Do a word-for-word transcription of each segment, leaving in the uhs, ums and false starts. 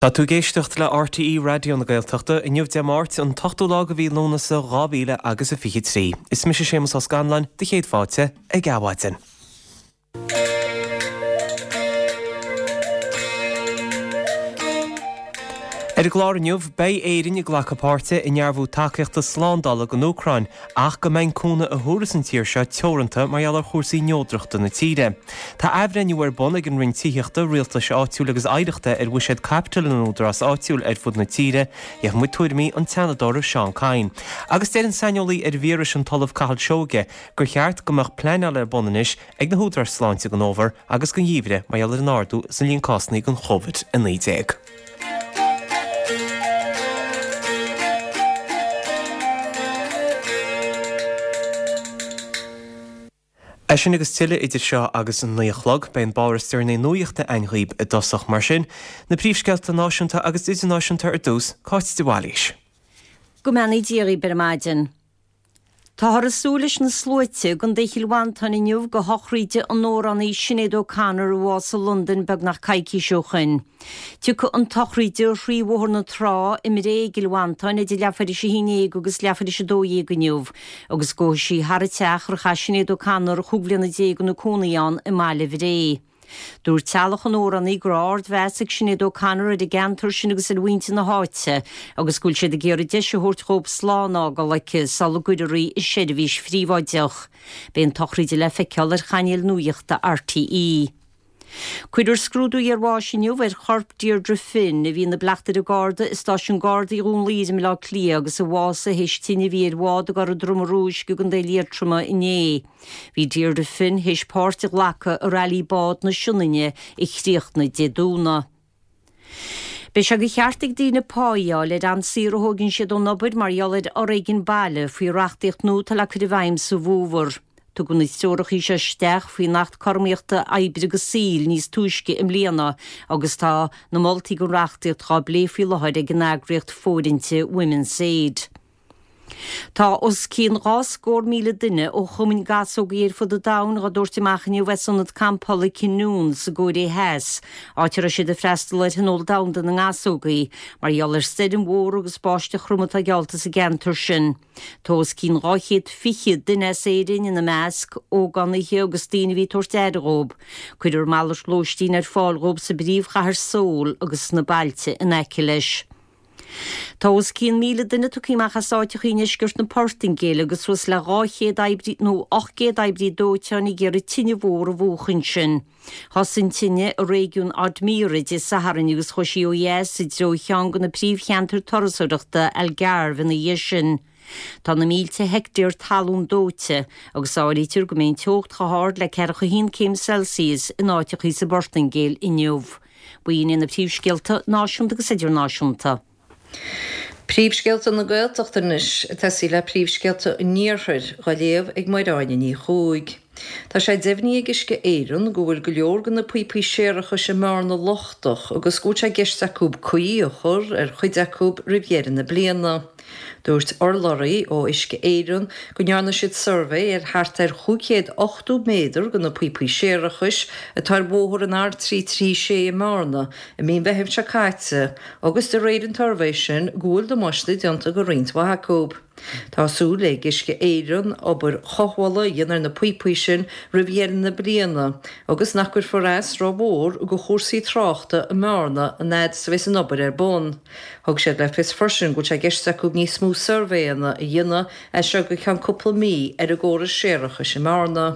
Tá tú ag éisteacht le RTÉ Raidió na Gaeltachta inniu Dé Máirt an t-ochtú lá de mhí Lúnasa dhá mhíle agus a fiche trí. Is mise Séamus Ó Scanláin do chéad fáilte ag Adhmhaidin. Ar an gclár inniu, beidh Éirinn ag glacadh páirte i ndearbhú tacaíochta slándála don Úcráin ach go mbeidh an cúnamh a thabharfas an tír seo teoranta mar gheall ar chúrsaí neodrachta na tíre. Tá athbhreithniú ar bun ag an Roinn Tithíochta, Rialtais Áitiúil agus Oidhreachta ar bhuiséad caipitil na n-údarás áitiúil ar fud na tíre, gheobhaidh muid tuairimí an tSeanadóra Seán Kyne. Agus deir an saineolaí ar víris an tOllamh Cathal Seoige gur cheart go mbeadh pleanáil ar bun anois ag na húdaráis sláinte don fhómhar agus don gheimhreadh mar gheall ar an ardú sa líon cásanna den Chóivid a naoi déag. É sin agus tuilleadh idir seo agus an naoi a chlog, beidh an báire is deireanaí nuachta againn dhaoib i dtosach. Mar sin, na príomhscéalta náisiúnta agus idirnáisiúnta ar dtús, Cáit de Bhailís. Go mbeannaí Dia dhaoib ar maidin. Táthar ag súil leis na sluaite i gContae Chill Mhantáin inniu do shochraid an amhránaí Sinéad O'Connor a bhásaigh i Londain beagnach coicís ó shoin. Tiocfaidh an tsochraid thrí Bhóthar na Trá i mBré i gCill Mhantáin idir leathuair tar éis a haon déag agus leathuair tar éis a dó dhéag inniu agus gabhfaidh sí thar an teach ar chaith Sinéad O'Connor chúig bhliana déag ina cónaí ann i mbaile Bhré. Dúirt teaghlach an amhránaí go raibh ardmheas ag Sinéad O'Connor ar an gceantar sin agus ar mhuintir na háite agus go bhfuil siad ag iarraidh deis a thabhairt dhóibh slán a fhágáil aici sula gcuirfear í i seirbhís phríobháideach. Beidh an tsochraid le feiceáil ar chainéal nuachta RTÉ. Cuirfear scrúdú iarbháis inniu ar chorp Deirdre Finn, a bhí ina bleachtaire garda i stáisiún Gardaí Dhún Laoghaire i mBaile Átha Cliath agus a bhásaigh théis tine a bhí ar bhád i gCora Droma Rúisc i gContae Liatroma inné. Bhí Deirdre Finn théis páirt a ghlacadh i Railí Bád na Sionainne a chríochnaigh Dé Domhnaigh. Beidh sé de cheart ag daoine pá a fháil ar am saor a thógann siad ón obair mar gheall ar fhoréigean baile faoi reachtaíocht nua atá le cur i bhfeidhm sa bhfómhar. Tugadh na treoracha seo isteach faoin Acht Cothromaíochta Oibre agus Saoil níos túisce i mbliana agus tá na moltaí don reachtaíocht á bplé faoi láthair ag an eagraíocht fóirithinte Women's Aid. Tá os cionn dhá scór míle duine ó chumainn gasógaí ar fud an domhain á dtabhairt amach inniu as ionad campála Kinnoon sa gCóiré Theas, áit a raibh siad ag freastal ar Thionól Domhanda na nGasógaí, mar gheall ar stoirm mhór agus báisteach throm atá geallta sa gceantar sin. Tá os cionn dhá chéad fiche duine as Éirinn ina measc, ógánaithe agus daoine a bhí ag tabhairt aire dhóibh. Cuirfear malairt lóistín ar fáil dhóibh sa bpríomhchathair Seoul agus sna bailte in aice leis. Tá os cionn míle duine tugtha amach as áiteacha i ndeisceart na Portaingéile agus suas le dhá chéad oibrí nó ocht gcéad oibrí dóiteáin ag iarraidh tine mhór a mhúchadh ansin. Thosaigh an tine i réigiún Odemira Dé Sathairn agus chuaigh sí ó dheas i dtreo cheann de na príomhcheantair turasóireachta, Algarve, ina dhiaidh sin. Tá na mílte heicteár talún dóite agus áirítear go mbeidh an teocht chomh hard le ceathracha a haon céim Celsius in áiteacha sa bPortaingéil inniu. B'in iad na príomhscéalta náisiúnta agus idirnáisiúnta. Príomhscéalta na Gaeltachta anois, ag tosaí le príomhscéalta an Iarthair, dhá léamh ag Máire Áine Ní Chuaig. Tá sé deimhnithe ag Uisce Éireann go bhfuil go leor de na píopaí séarachais i mBearna lochtach agus go bhfuil sé i gceist acu caoi a chur ar chuid acu roimh dheireadh na bliana. Dúirt urlabhraí ó Uisce Éireann go ndearna siad suirbhé ar thart ar chúig chéad ochtó méadar de na píopaí séarachais atá ar bhóthar an R trí trí sé i mBearna i mí an Mheithimh seo caite agus de réir an tsuirbhé sin go bhfuil damáiste déanta do roinnt mhaith acu. Tá súil ag Uisce Éireann obair chothabhála a dhéanamh ar na píopaí sin roimh dheireadh na bliana agus nach gcuirfear as rómhór do chúrsaí tráchta i mBearna an fhad is a bheas an obair ar bun. Thug siad le fios freisin go bhfuil sé i gceist acu níos mó suirbhéanna a dhéanamh as seo go ceann cúpla mí ar an gcóras séarachais i mBearna.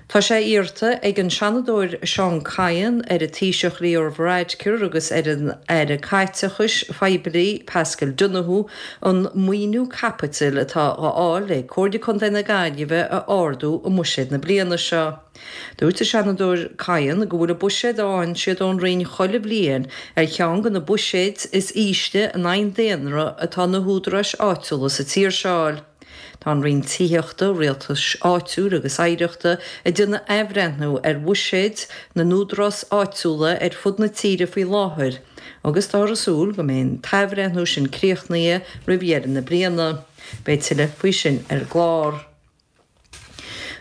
Tá sé iarrta ag an Seanadóir Seán Kyne ar an Taoiseach Leo Varadkar agus ar an Aire Caiteachais Phoiblí Paschal Donohoe an maoiniú caipitil atá á fháil ag Comhairle Contae na Gaillimhe a ardú i mbuiséad na bliana seo. Dúirt an Seanadóir Kyne go bhfuil an buiséad a fhaigheann siad ón Roinn chuile bhliain ar cheann de na buiséid is ísle in aghaidh an daonra atá na húdaráis áitiúla sa tír seo a fháil. Tá an Roinn Tithíochta, Rialtais Áitiúil agus Oidhreachta ag déanamh athbhreithniú ar bhuiséid na n-údarás áitiúla ar fud na tíre faoi láthair agus táthar ag súil go mbeidh an t-athbhreithniú sin críochnaithe roimh dheireadh na bliana. Beidh tuilleadh faoi sin ar an gclár.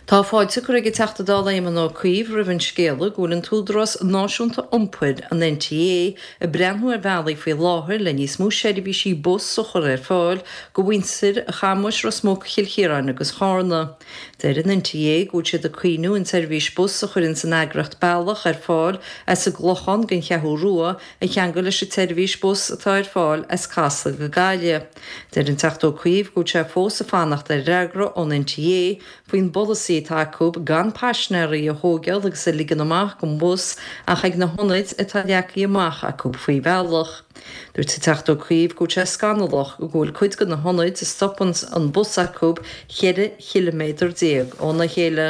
Tá fáilte curtha ag an Teachta Dála Éamon Ó Cuív roimh an scéala go bhfuil an tÚdarás Náisiúnta Iompair, an NTA, ag breathnú ar bhealaí faoi láthair le níos mó seirbhísí bus a chur ar fáil go mhuintir Chamuis, Ros Muc, Chill Chiaráin agus Charna. Deir an NTA go bhfuil siad ag cuimhniú an tseirbhís bus a chuireanns an eagraíocht Bealach ar fáil as an gClochán don Cheathrú Rua a cheangal leis an tseirbhís bus atá ar fáil as Casla go Gaillimh. Deir an Teachta Ó Cuív go bhfuil sé fós ag fanacht ar fhreagra ón NTA faoin bpolasaí atá acu gan paisinéirí a thógáil agus a ligean amach den bhus ach ag na hionaid atá leagtha amach acu faoi Bhealach. Dúirt an Teachta Ó Cuív go bhfuil sé scannalach go bhfuil cuid de na hionaid a stopann an bus acu ceithre chiliméadar déag óna chéile.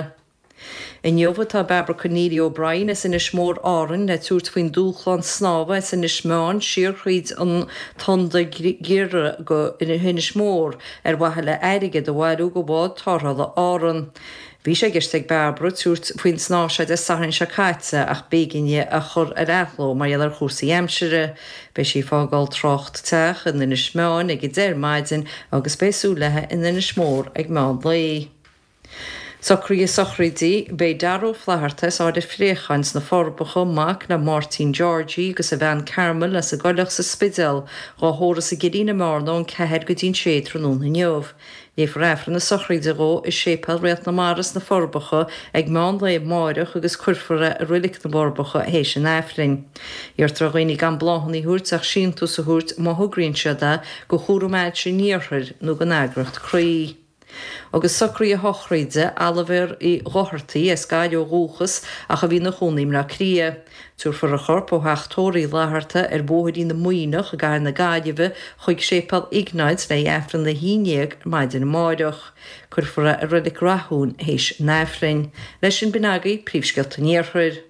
Inniu atá Barbara Conneely O'Brien as Inis Mór, Árainn, le tabhairt faoin dúshlán snámha as Inis Meáin siar thríd an Tonn Giorra go hInis Mór ar mhaithe le airgead a bhailiú go bhád tarrthála Árann. Bhí sé i gceist ag Barbara tabhairt faoin snámh seo Dé Sathairn seo caite ach b'éigean di a chur ar athló mar gheall ar chúrsaí aimsire. Beidh sí ag fágáil Trácht Teach in Inis Meáin ag a deich ar maidin agus beidh súil léi in Inis Mór ag meán lae. Socruithe sochraide, Beidh Dara Ó Flatharta as Ard a' Phréacháin sna Forbacha, mac le Máirtín Georgie agus a bhean Carmel as an gCoileach sa Spidéal, dhá thórramh sa gCillín i mBearna ón ceathair go dtí'n sé tráthnóna inniu. Léifear Aifreann na sochraide dhó i Séipéal Réalt na Mara sna Forbacha ag meán lae amáireach agus cuirfear é i Roilic na bhForbacha théis an Aifrinn. Iarrtar ar dhaoine gan bláthanna a thabhairt ach síntiús a thabhairt má thograíonn siad é go Chúram Ailse an Iarthair nó don eagraíocht Croí. Agus socruithe sochraide Oilibhéir Uí Dhochartaigh, as Gaillimh ó dhúchas ach a bhí ina chónaí i mBleá Cliath. Tabharfar a chorp ó theach tórraimh Uí Fhlatharta ar Bhóithrín na Muimhneach i gcathair na Gaillimhe chuig Séipéal Iognáid le haghaidh Aifreann a haon déag ar maidin amáireach. Cuirfear é i Reilig Rathúin théis an Aifrinn. Leis sin b'in agaibh príomhscéalta an Iarthair.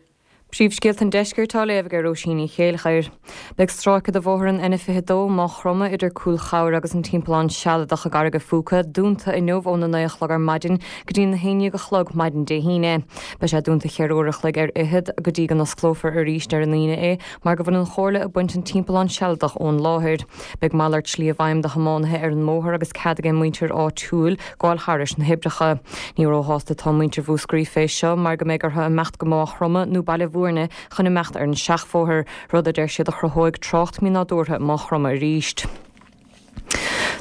Príomhscéalta an Deiscirt á léamh ag Róisín Ní Chéilleachair. Beidh stráice de bhóthar an N fiche dó, Maigh Chromtha, idir Cúil Chabhair agus an Timpeallán Sealadach i gCarraig a' Phúca, dúnta inniu óna naoi a chlog ar maidin go dtí na haon déag a chlog maidin Dé hAoine. Beidh sé dúnta cheithre uair a chloig ar fhichead go dtí go n-osclófar arís ar an Aoine é mar go bhfuil an Chomhairle ag baint an timpeallán sealadach ón láthair. Beidh malairt slí i bhfeidhm do thiománaithe ar an mbóthar agus cead ag muintir áitiúil gabháil thairis na hoibreacha. Ní róshásta atá muintir Mhúscraí fé seo mar go mbeidh orthu imeacht go Maigh Chromtha nó Baile Bhúirne chun imeacht ar an seachbhóthar, rud a deir siad a chruthóidh trácht mínádúrtha i Maigh Chromtha arís.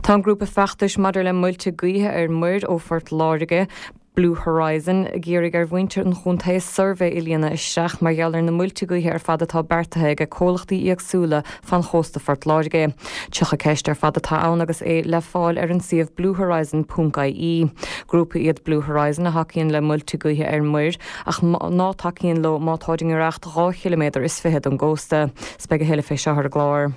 Tá an grúpa feachtais maidir le muilte gaoithe ar muir ó Phort Láirge, Blue Horizon, ag iarraidh ar mhuintir an chontae suirbhé a líonadh isteach mar gheall ar na muilte gaoithe ar fad atá beartaithe ag comhlachtaí éagsúla fan chósta Phort Láirge. Tríocha ceist ar fad atá ann agus é le fáil ar an suíomh bluehorizon ponc ie. Grúpa iad Blue Horizon a thacaíonn le muilte gaoithe ar muir ach ná tacaíonn leo má táid i ngiorracht dhá chiliméadar is fiche don gcósta. 'S beidh a thuilleadh fé seo ar an gclár.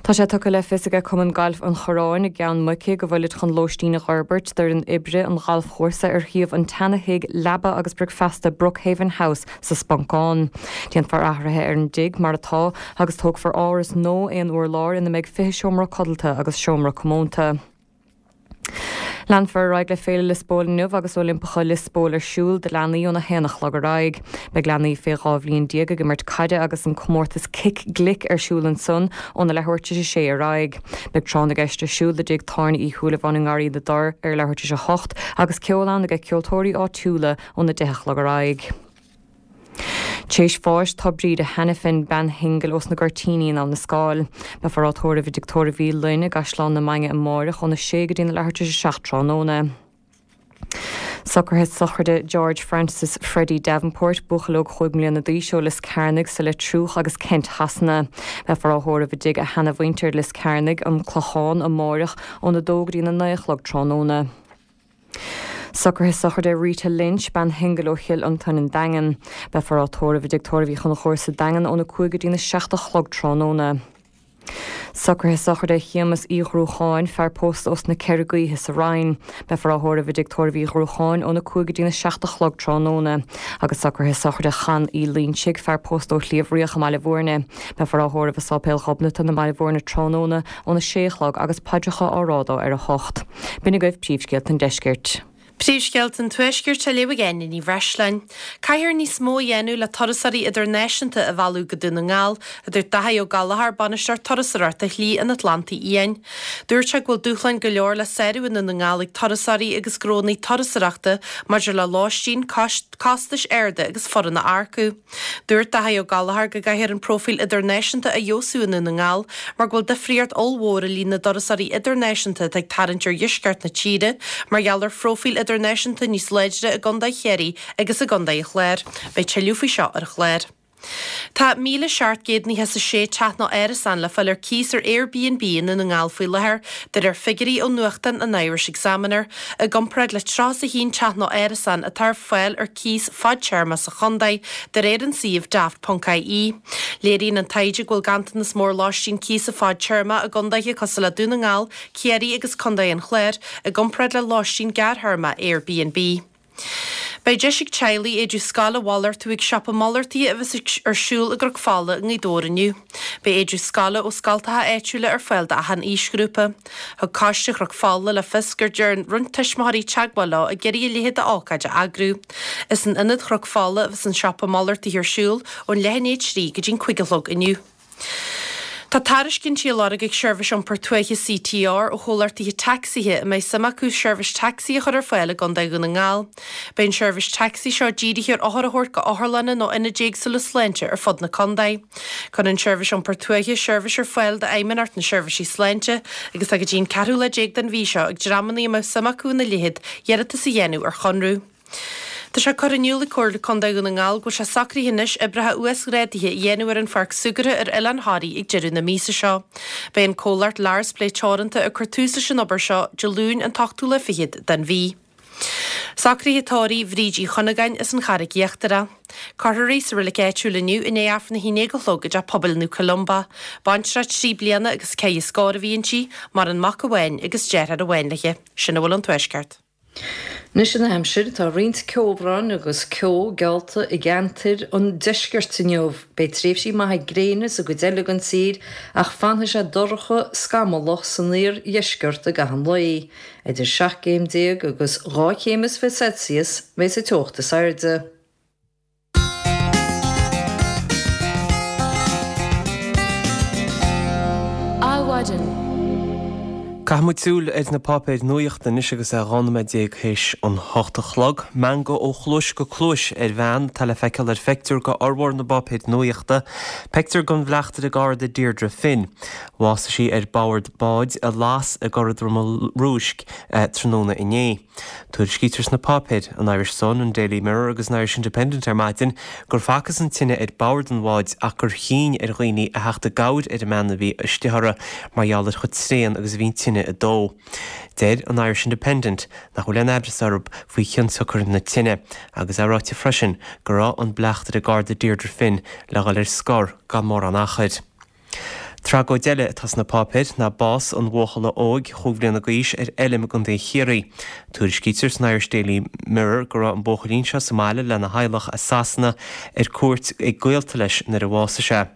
Tá sé tugtha le fios aige Cumann Gailf an Chorráin i gCeann Muice go bhfuilid chun lóistín a dh'fhorbairt d'fhoireann oibre an ghalfchúrsa ar shuíomh an tseana-thigh leaba agus bricfeasta Brookhaven House sa Sponcán. Déanfar athruithe ar an dtigh mar atá agus tógfar áras nua aon urlár ina mbeidh fiche seomra codlata agus seomra comónta. Leanfar ar aghaidh le Féile Liospóil inniu agus Oilimpeacha Liospóil ar siúl do leanaí óna haon a chlog ar aghaidh. Beidh leanaí fé dhá bhliain déag ag imirt caide agus an comórtas Cic Glic ar siúl ansan óna leathuair tar éis a sé ar aghaidh. Beidh tráth na gceist ar siúl i dTigh Tábhairne Uí Shúilleabháin i nGarraí na dTor ar leathuair tar éis a hocht agus ceol ann aige ceoltóirí áitiúla óna deich a chlog ar aghaidh. Théis bháis tá Bríde Hanafin, bean shingil ós na Goirtíní in Abha na Scáil. Beifear á tórramh i dTigh Tórraimh Uí Fhloinn i gCaisleán na Mainge amáireach óna sé go dtí na leathuair tar éis a seacht tráthnóna. Socruithe sochraide George Francis Freddie Davenport, buachaill óg chúig mbliana d'aois ó Lios Cearnaigh sa Leitriúch agus Kent Shasana. Beifear á thórramh i dtigh a sheanamhuintir Lios Cearnaigh, An Clochán, amáireach óna dó go dtí na naoi a chlog tráthnóna. Socruithe sochraide Rita Lynch, bean shingil ó Chill Fhionntain an Daingean. Beifear á tórramh i dTigh Tórraimh Uí Chonchúir sa Daingean óna cúig go dtína seacht a chlog tráthnóna. Socruithe sochraide Shéamus Uí Ghruacháin, fear pósta ós na Ceithre Gaoithe sa Rinn. Beifear á thórramh i dTigh Tórraimh Uí Ghruacháin óna cúig go dtína seacht a chlog tráthnóna. Agus socruithe sochraide Chan Uí Loinsigh, fear pósta ó Shliabh Riach i mBaile Bhúirne. Beifear á thórramh i Sáipéal Ghobnatan i mBaile Bhúirne tráthnóna óna sé a chlog agus paidreacha á rá dó ar a hocht. B'in agaibh príomhscéalta an deiscirt. Príomhscéalta an Tuaiscirt á léamh ag Áine Ní Bhreisleáin. Caithfear níos mó a dhéanamh le turasóirí idirnáisiúnta a mhealladh go Dún na nGall, a dúirt Daithí Ó Gallchóir, Bainisteoir Turasóireachta Shlí an Atlantaigh Fhiáin. Dúirt sé go bhfuil dúshláin go leor le sárú i nDún na nGall ag turasóirí agus gnónna turasóireachta maidir le lóistín, costais arda agus foireann a earcú. Dúirt Daithí Ó Gallchóir go gcaithfear an próifíl idirnáisiúnta a fheabhsú i nDún na nGall mar go bhfuil difríocht ollmhór i líon na dturasóirí idirnáisiúnta atá ag tarraingt ar dheisceart na tíre mar gheall ar phróifíl idirnáisiúnta níos láidre i gContae Chiarraí agus i gContae an Chláir. Beidh tuilleadh faoi seo ar an chlár. Tá míle seacht gcéad nócha is a sé teach nó árasán le fáil ar cíos ar Airbnb i nDún na nGall faoi láthair, de réir figiúirí ó nuachtán an Irish Examiner, i gcomparáid le tríocha is a haon teach nó árasán atá ar fáil ar cíos fadtéarma sa chontae, de réir an suímh daft ponc ie. Léiríonn an taighde go bhfuil ganntanas mór lóistín cíosa fadtéarma i gcontaetha cosúil le Dún na nGall, Ciarraí agus Contae an Chláir, i gcomparáid le lóistín gearrthéarma Airbnb. Beidh deis ag teaghlaigh éide scoile a mhalartú ag siopa malartaithe a bheas ar siúl i gCnoc Fola i nGaoth Dobhair inniu. Beidh éide scoile ó scoltacha áitiúla ar fáil d'achan aoisghrúpa. Thug Coiste Chnoc Fola le fios gur dhearn roinnt tuismitheoirí teagmháil leo ag iarraidh a leithéid d'ócáid a eagrú. Is in Ionad Chnoc Fola a bheas an siopa malartaithe ar siúl ón leath i ndiaidh a trí go dtí'n cúig a chlog inniu. Tá tairiscintí á lorg ag Seirbhís Iompair Tuaithe C T R ó chomhlachtaithe tacsaithe a mbeidh suim acu seirbhís tacsaí a chur ar fáil i gContae Dhún na nGall. Beidh an seirbhís tacsaí seo dírithe ar othair a thabhairt go otharlanna nó ionaid éagsúla sláinte ar fud na contae. Cuireann an tSeirbhís Iompair Tuaithe seirbhís ar fáil d'Fheidhmeannacht na Seirbhísí Sláinte agus tá go dtí an ceathrú lá déag den mhí seo ag dreamanna a mbeadh suim acu ina leithéid iarratas a dhéanamh ar chonradh. Tá sé curtha in iúl ag Comhairle Contae Dhún na nGall go bhfuil sé socraithe anois oibreacha uasghrádaithe a dhéanamh ar an pháirc súgartha ar Oileán Thoraí ag deireadh na míosa seo. Beidh an comhlacht Lars Play Teoranta ag cur tús leis an obair seo Dé Luain an t-ochtú lá fichead den mhí. Socruithe tórraimh Bhríd Uí Chunagáin as an Charraig Íochtarach. Cuirfear í sa reilig áitiúil inniu i ndiaidh Aifreann a haon déag a chlog i dTeach Pobail Naomh Columba. Baintreach trí bliana agus ceithre scór a bhí inti, maireann mac amháin agus deartháir amháin léi. Sin a bhfuil ón Tuaisceart. Anois an aimsir, tá roinnt ceobhráin agus ceo geallta i gceantair an deiscirt inniu. Beidh tréimhsí maithe gréine sa gcuid eile den tír ach fanfaidh sé dorcha scamallach san iardheisceart i gcaitheamh an lae. Idir seacht gcéim déag agus dhá chéim is fiche Celsius a bheidh sa teocht is airde. Adhmhaidin. Caithfidh muid súil ar na páipéir nuachta anois agus é dhá nóiméad déag théis an hocht a chlog. Meangadh ó chluais go cluais ar bhean atá le feiceáil ar phictiúr de fhormhór na bpáipéir nuachta, pictiúr den bhleachtaire garda Deirdre Finn. Bhásaigh sí ar bord báid a las i gCora Droma Rúisc tráthnóna inné. Tuairiscítear sna páipéir, an Irish Sun, an Daily Mirror agus an Irish Independent ar maidin, gur facthas an tine ar bord an bháid ach gur chinn ar dhaoine a theacht i gcabhair ar an mbean a bhí istigh uirthi mar gheall ar chomh tréan agus a bhí an tine ag dó. Deir an Irish Independent nach bhfuil aon aimhreas orthu faoi chionsiocair na tine agus é ráite freisin go raibh an bleachtaire garda Deirdre Finn le dhul ar scor gan mórán achair. Tragóid eile atá sna páipéir ná bás an bhuachalla óig chúig bhliana d'aois ar fheilm i gContae Chiarraí. Tuairiscítear san Irish Daily Mirror go raibh an buachaillín seo sa mbaile lena theaghlach as Sasana ar cuairt ag gaolta leis nuair a bhásaigh sé.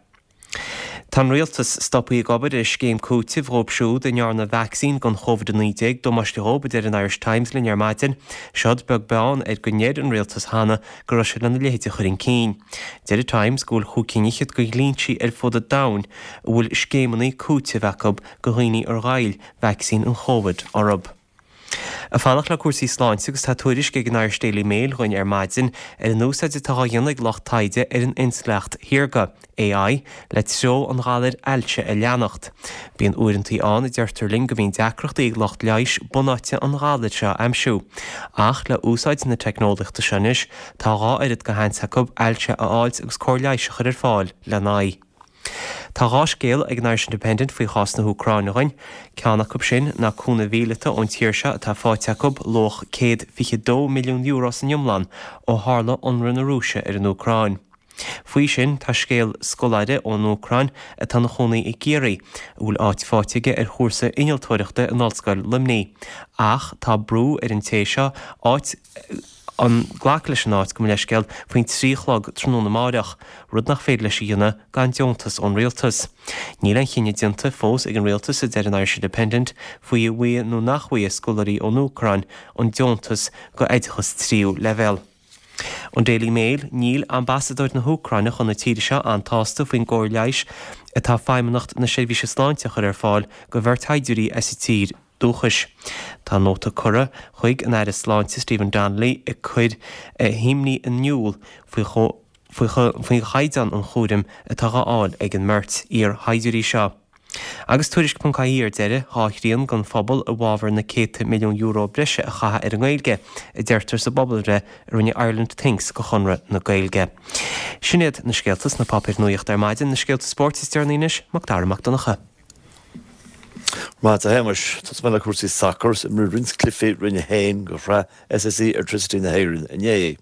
Tá an rialtas stoptha ag obair ar scéim cúitimh dhóibh siúd a ndearna vacsaín don Covid a naoi déag damáiste dhóibh, a deir an Irish Times linn ar maidin. Seod beag beann ar go ndeir an rialtas cheana go raibh siad lena leithéid a chur chun cinn. Deir an Times go bhfuil chúig cinn fhichead de dhlínsí ar fud an domhain a bhfuil scéimeanna cúitimh acu do dhaoine ar ghoill vacsaín an Chóvid orthu. Ag fanacht le cúrsaí sláinte agus tá tuairisc ag an Irish Daily Mail dhúinn ar maidin ar an úsáid atá á dhéanamh ag lucht taighde ar an intleacht shaorga, A I, le treo an ghalair ailse a leanacht. Bíonn uaireantaí ann a deirtear linn go mbíonn deacrachtaí ag lucht leighis bunáite an ghalair seo a aimsiú. Ach le úsáid na teicneolaíochta seo anois tá dhá oiread de sheans acu ailse a fháilt agus cóir leighis a chur ar fáil lena aghaidh. Tá dhá scéal ag an Irish Independent faoi chás na hÚcráine dhúinn. Ceann acu sin ná cúnamh míleata ón tír seo atá faighte acu luach céad fiche dó milliún euro san iomlán ó tharla ionradh na Rúise ar an Úcráin. Faoi sin tá scéal scoláire ón Úcráin atá ina chónaí i gCiarraí, a bhfuil áit faighte aige ar chúrsa innealtóireachta in Ollscoil Luimnigh. Ach tá brú ar an té seo áit an glacadh leis an áit, gabh mo leithscéal, faoin trí a chlog tráthnóna amáireach, rud nach féidir leis a dhéanamh gan deontas ón rialtas. Níl aon chinneadh déanta fós ag an rialtas, a deir an Irish Independent, faoi an bhfaighidh nó nach bhfaighidh scoláirí ón Úcráin an deontas go oideachas tríú leibhéal. An Daily Mail, Níl ambasadóir na hÚcráine chun na tíre seo an-tsásta faoin gcóir leighis atá Feidhmeannacht na Seirbhíse Sláinte a chur ar fáil go bheirt shaighdiúirí as a tír dúchais. Tá nóta curtha chuig an Aire Sláinte Stephen Donnelly ag cur a himní in iúl faoi faoi chaighdeán an chúraim atá á fháil ag an mbeirt iar-shaighdiúirí seo. Agus Tuairisc ponc ie ar deireadh, dhá thrian den phobal i bhfabhar na céadta milliún euro breise a chaitheamh ar an nGaeilge, a deirtear sa bpobalbhreith a rinne Ireland Thinks go Chonradh na Gaeilge. Sin iad na scéalta sna páipéir nuachta ar maidin, na scéalta spóirt is deireanaí anois, Mac Dara Mac Donncha. Maith, a Shéamais, tosóidh mé le cúrsaí sacair, imríodh roinnt cluichí Roinn a haon de Shraith S S E Airtricity na hÉireann inné.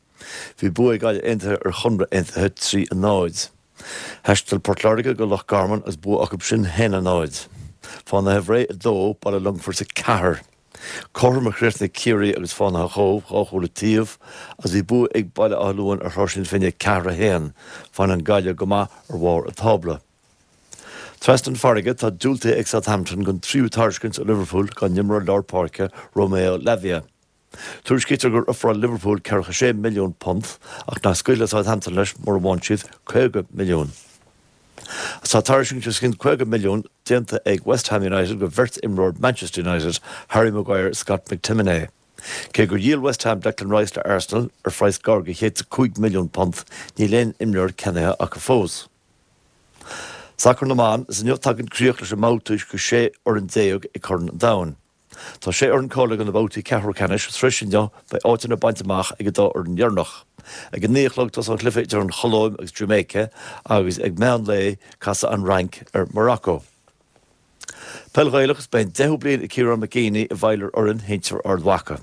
Bhí bua ag Gaillimh Aontaithe ar Chonradh Aontaithe trí a náid. Thaistil Port Láirge go Loch Garman agus bua acu sin haon a náid. Fánaithe Bhré a dó, Baile Longfoirt a ceathair. Cothrom a chríochnaigh Ciarraí agus Fánaithe Chóbh, dhá chúl an taobh, agus bhí bua ag Baile Átha Luain ar Thráth Finne ceathair a haon. Fanann Gaillimh go maith ar bharr an tábla. Trasna an farraige, tá diúltaithe ag Southampton don tríú tairiscint ó Liverpool dá n-imreoir lár páirce Romeo Lavia. Tuairiscítear gur ofráil Liverpool ceathracha sé milliún punt ach nach scaoilfeadh Southampton leis mura bhfaigheann siad caoga milliún. Tá tairiscint os cionn caoga milliún déanta ag West Ham United do bheirt imreoir Manchester United, Harry Maguire is Scott McTominay. Cé gur dhíol West Ham Declan Rice le Arsenal ar phraghas gar do chéad is a cúig milliún punt, níl aon imreoir ceannaithe acu fós. Sacar na mBan, is inniu tagann críoch leis an mbabhta de sé fhoireann déag ag Corn an Domhain. Tá sé fhoireann cáilithe do na babhtaí ceathrú ceannais agus tar éis inniu beidh áiteanna bainte amach ag an dá fhoireann dheireanach. Ag a naoi a chlog tosóidh an cluiche idir an Cholóim agus Jamaica agus ag meán lae casfaidh an Fhrainc ar Morocco. Peil Ghaelach, is beidh an deichiú bliain ag Ciarán McGeeney i bhfeighil ar fhoireann shinsir Ard Mhacha.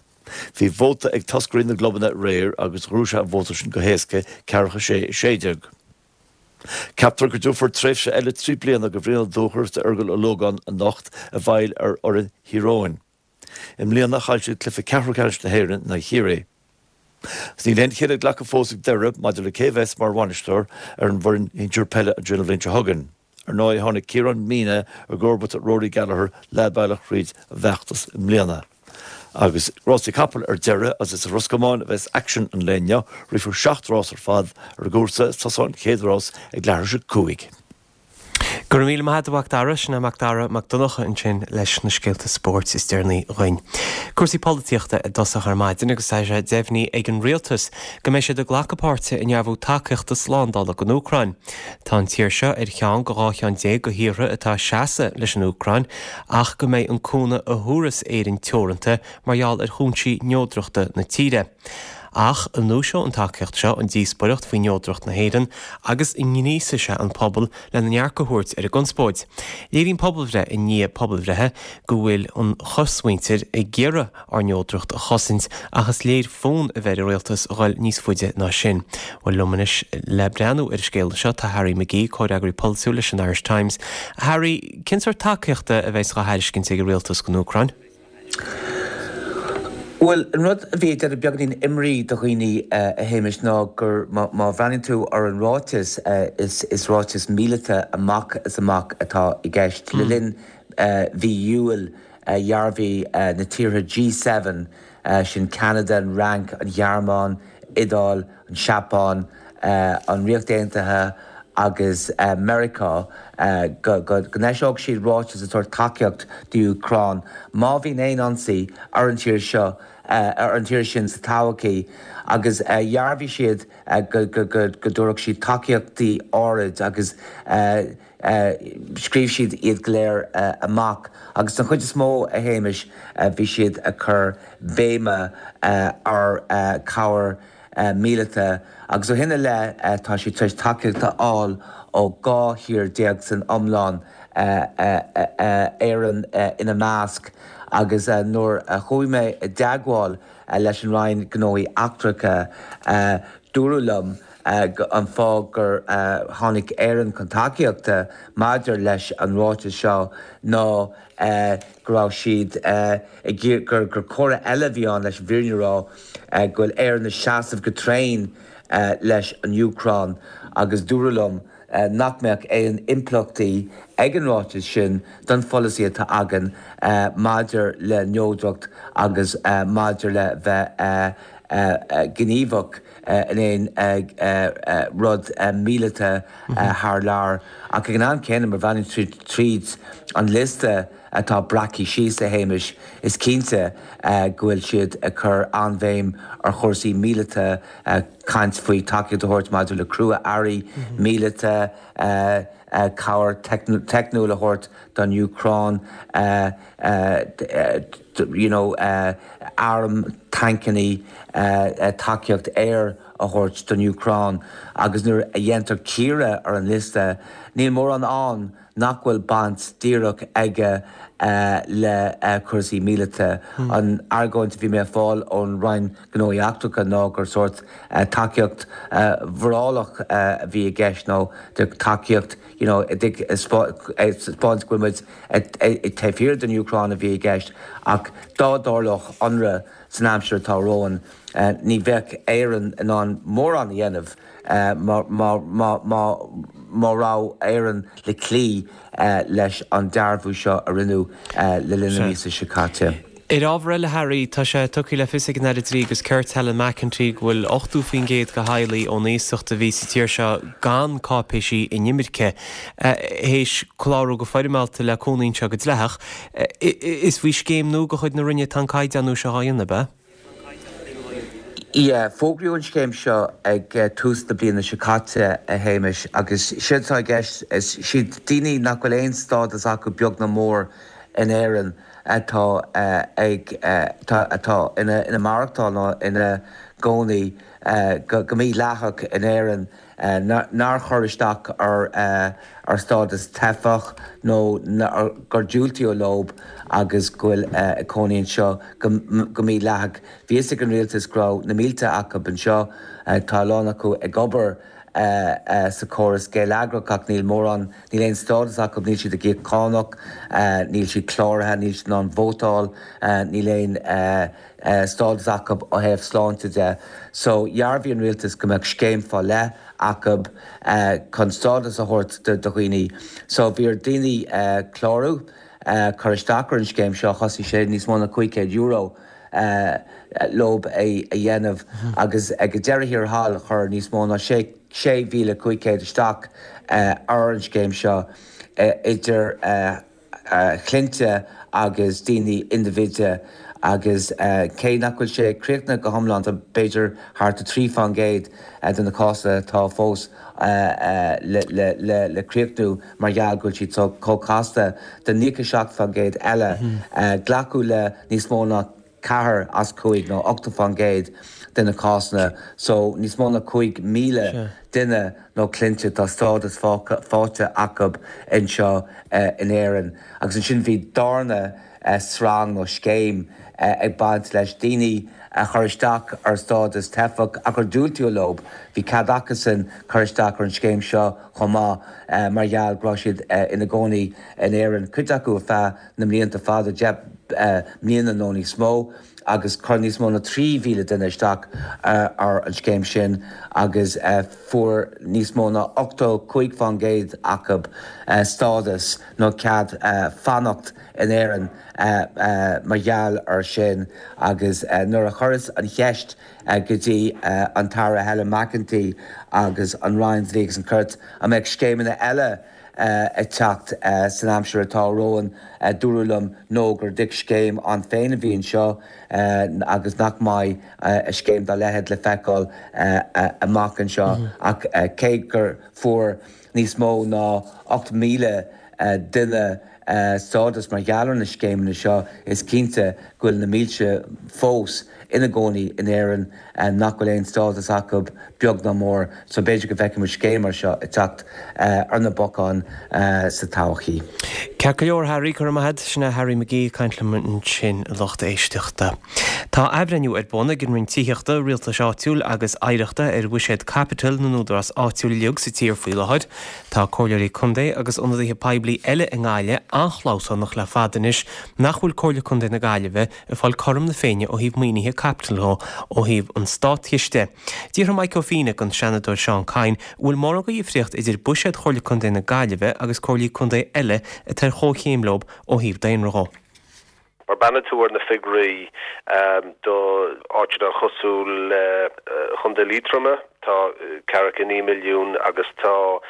Bhí vóta ag toscairí na gclubanna aréir agus ghnóthaigh sé an vóta sin go héasca, ceathracha sé, a sé déag. Ceaptar go dtabharfar tréimhse eile trí bliana do Bhrian Ó Dúchair is d'Fheargal Ó Lógáin anocht i bhfeighil ar fhoireann Thír Eoghain. I mbliana chaill siad cluiche ceathrú ceannais na hÉireann in aghaidh Chiarraí. Agus níl aon chinneadh glactha fós ag Doire maidir le cé a bheas mar bhainisteoir ar an bhfoireann shinsir peile an bhliain seo chugainn. Ar ndóigh tháinig Ciarán Meenagh i gcomharbacht ar Rory Gallagher leath bealach thríd an bhfeachtas i mbliana. Agus rásaí capall ar deireadh, agus is i Ros Comáin a bheas aicsean an lae inniu, rithfear seacht rás ar fad ar an gcúrsa, is tosóidh an chéad rás ag leathuair tar éis a cúig. Go raibh míle maith agat a Mhac Dara, sin é Mac Dara Mac Donncha ansin leis na scéalta spóirt is deireanaí dhuinn. Cúrsaí polaitíochta i dtosach ar maidin agus tá sé deimhnithe ag an rialtas go mbeidh siad ag glacadh páirte i ndearbhú tacaíochta slándála don Úcráin. Tá an tír seo ar cheann de dhá cheann déag de thíortha atá ag seasamh leis an Úcráin ach go mbeidh an cúnamh a thabharfas Éirinn teoranta mar gheall ar chúinsí neodrachta na tíre. Ach an ndúiseoidh an tacaíocht seo an díospóireacht faoi neodracht na hÉireann agus an ngríosfaidh sé an pobal lena ndearcadh a thabhairt ar an gconspóid? Léiríonn pobalbhreith i ndiaidh pobalbhreithe go bhfuil an chosmhuintir ag iarraidh ár neodracht a chosaint ach is léir fonn a bheith ar an rialtas a dhul níos faide ná sin. Bhuel liom anois le breathnú ar an scéal seo tá Harry McGee, comhfhreagraí polaitiúil leis an Irish Times. Harry, cén sórt tacaíochta a bheas á thairiscint ag an rialtas don Úcráin? Bhuel, an rud a bhí ag déanamh beagáinín imní do dhaoine, a Shéamais, ná gur má bhreathnaíonn tú ar an ráiteas, is is ráiteas míleata amach is amach atá i gceist. Le linn mhí Iúil, dhearbhaigh na tíortha G seven, sin Ceanada, an Fhrainc, an Ghearmáin, Iodáil, an Seapáin, an Ríocht Aontaithe agus Meiriceá, go n-eiseodh siad ráiteas ag tabhairt tacaíocht d'Úcráin má bhíonn aon ionsaí ar an tír seo, ar an tír sin sa todhchaí agus dhearbhaigh siad go dtabharfadh siad tacaíochtaí áirid agus scríobh siad iad go léir amach agus den chuid is mó, a Shéamais, bhí siad ag cur béime ar chabhair míleata agus ó shin i leith tá siad tar éis tacaíocht a fháil ó dhá thír déag san iomlán, Éirinn ina measc agus nuair a chuaigh mé i dteagmháil leis an Roinn Gnóthaí Eachtracha dúradh liom an fáth gur tháinig Éirinn chun tacaíochta maidir leis an ráiteas seo ná go raibh siad ag gur gur comhartha eile a bhí ann leis an bhfírinne a rá go bhfuil Éirinn ag seasamh go tréan leis an Úcráin agus dúradh liom nach mbeadh aon impleachtaí ag an ráiteas sin don pholasaí atá againn maidir le neodracht agus maidir le bheith gníomhach in aon rud míleata thar lear. Ach ag an am céanna, má bhreathnaíonn tú tríd an liosta atá breactha síos, a Shéamais, is cinnte go bhfuil siad ag cur an-bhéim ar chúrsaí míleata, caint faoi tacaíocht a thabhairt maidir le crua-earraí míleata, cabhair teicniúil a thabhairt don Úcráin, you know airm, tancannaí, tacaíocht aeir a thabhairt don Úcráin agus nuair a dhéantar cíoradh ar an liosta, níl mórán ann nach bhfuil baint díreach aige le cúrsaí míleata. An argóint a bhí mé ag fáil ón Roinn Gnóthaí Eachtracha ná gur sórt tacaíocht mhorálach a bhí i gceist nó tacaíocht you know ag taispeáint go bhfuil muid taobh thiar den Úcráin a bhí i gceist ach dá dtarlódh ionradh san aimsir atá romhainn ní bheadh Éirinn in ann mórán a dhéanamh má raibh Éirinn le cloí leis an dearbhú seo a rinneadh le linn na míosa seo caite. Ar ábhar eile, Harry, tá sé tugtha le fios ag an Aire Dlí agus Cirt Helen McEntee go bhfuil ochtó faoin gcéad de theaghlaigh ón iasacht a bhí sa tír seo gan cáipéisí inimirce théis clárú go foirmeálta le cónaí anseo go dleathach. Is faoi scéim nua de chuid na Roinne atá an caighdeánú seo á dhéanamh, ab ea? Yeah, fógraíodh an scéim seo ag tús na bliana seo caite, a Shéamais, agus séard atá i gceist, is siad daoine nach bhfuil aon stádas acu beag ná mór in Éirinn atá ag, atá ina ina maireachtáil nó ina gcónaí go mídhleathach in Éirinn. nár chuir isteach ar stádas teifeach nó gur diúltaíodh leo agus go bhfuil ag cónaí anseo go mídhleathach. Bhí fhios ag an rialtas go raibh na mílte acu anseo. Tá a lán acu ag obair sa chóras geilleagrach ach níl mórán, níl aon stádas acu, níl siad ag íoc cánach, níl siad cláraithe, níl siad in ann vótáil, níl aon stádas acu ó thaobh sláinte de. So dhearbhaigh an rialtas go mbeadh scéim fá leith acu chun stádas a thabhairt do dhaoine. So bhí ar daoine clárú, cur isteach ar an scéim seo, chosain sé níos mó ná cúig chéad euro leo é a dhéanamh agus ag deireadh thiar thall chuir níos mó ná sé sé mhíle cúig chéad isteach ar an scéim seo idir chliaint agus daoine indibhide agus cé nach bhfuil sé críochnaithe go hiomlán, tá b'fhéidir thart ar trí faoin gcéad de na cásanna atá fós le críochnú mar gheall go bhfuil siad chomh casta. Den naocha seacht faoin gcéad eile, glacadh le níos mó ná ceathair as cúig nó ochtó faoin gcéad de na cásanna, so níos mó ná cúig míle duine nó cliaint tá stádas faighte acu anseo in Éirinn. Agus ansin bhí darna srang nó scéim ag baint leis, daoine a chuir isteach ar stádas teifeach ach ar diúltaíodh leo, bhí cead acusan cur isteach ar an scéim seo chomh maith mar gheall go raibh siad ina gcónaí in Éirinn, cuid acu ar feadh na mblianta fada, deich mbliana nó níos mó, agus chuir níos mó ná trí mhíle duine isteach ar an scéim sin agus fuair níos mó ná ochtó cúig faoin gcéad acu stádas nó cead fanacht in Éirinn mar gheall air sin. Agus nuair a chuireas an cheist go dtí an tAire Helen McEntee agus an Roinn Dlí agus an Cirt an mbeadh scéimeanna eile ag teacht san aimsir atá romhainn, dúradh liom no, gur scéim ann féin a bhí anseo agus nach mbeidh scéim dá leithéid le feiceáil amach anseo. Ach cé gur fuair níos mó ná ocht míle duine stádas mar gheall ar na scéimeanna seo, is cinnte go bhfuil na mílte fós ina gcónaí in Éirinn nach bhfuil aon stádas acu beag ná mór, so b'fhéidir go bhfeicfidh muid scéim mar seo ag teacht ar na bacáin sa todhchaí. Ceart go leor, Harry, go raibh maith agat. Sin é Harry McGee ag caint liom ansin, a lucht éisteachta. Tá athbhreithniú ar bun ag an Roinn Tithíochta, Rialtais Áitiúil agus Oidhreachta ar bhuiséad caipitil na n-údarás áitiúil uilig sa tír faoi láthair. Tá comhairleoirí contae agus ionadaithe poiblí eile i nGaillimh an-chlamhsánach le fada anois nach bhfuil Comhairle Contae na Gaillimhe ag fáil cothrom na Féinne ó thaobh maoinithe caipitil dhó ó thaobh an státchiste. D'fhiafraigh Mike Ó Fianna den Seanadóir Seán Kyne an bhfuil mórán de dhifríocht idir buiséad Chomhairle Contae na Gaillimhe agus comhairlí contae eile atá ar chomhchéim leo ó thaobh daonra dhó. Má bhreathnaíonn tú ar na figiúirí do áiteanna cosúil le Chontae Liatroma, tá ceathracha naoi milliún agus tá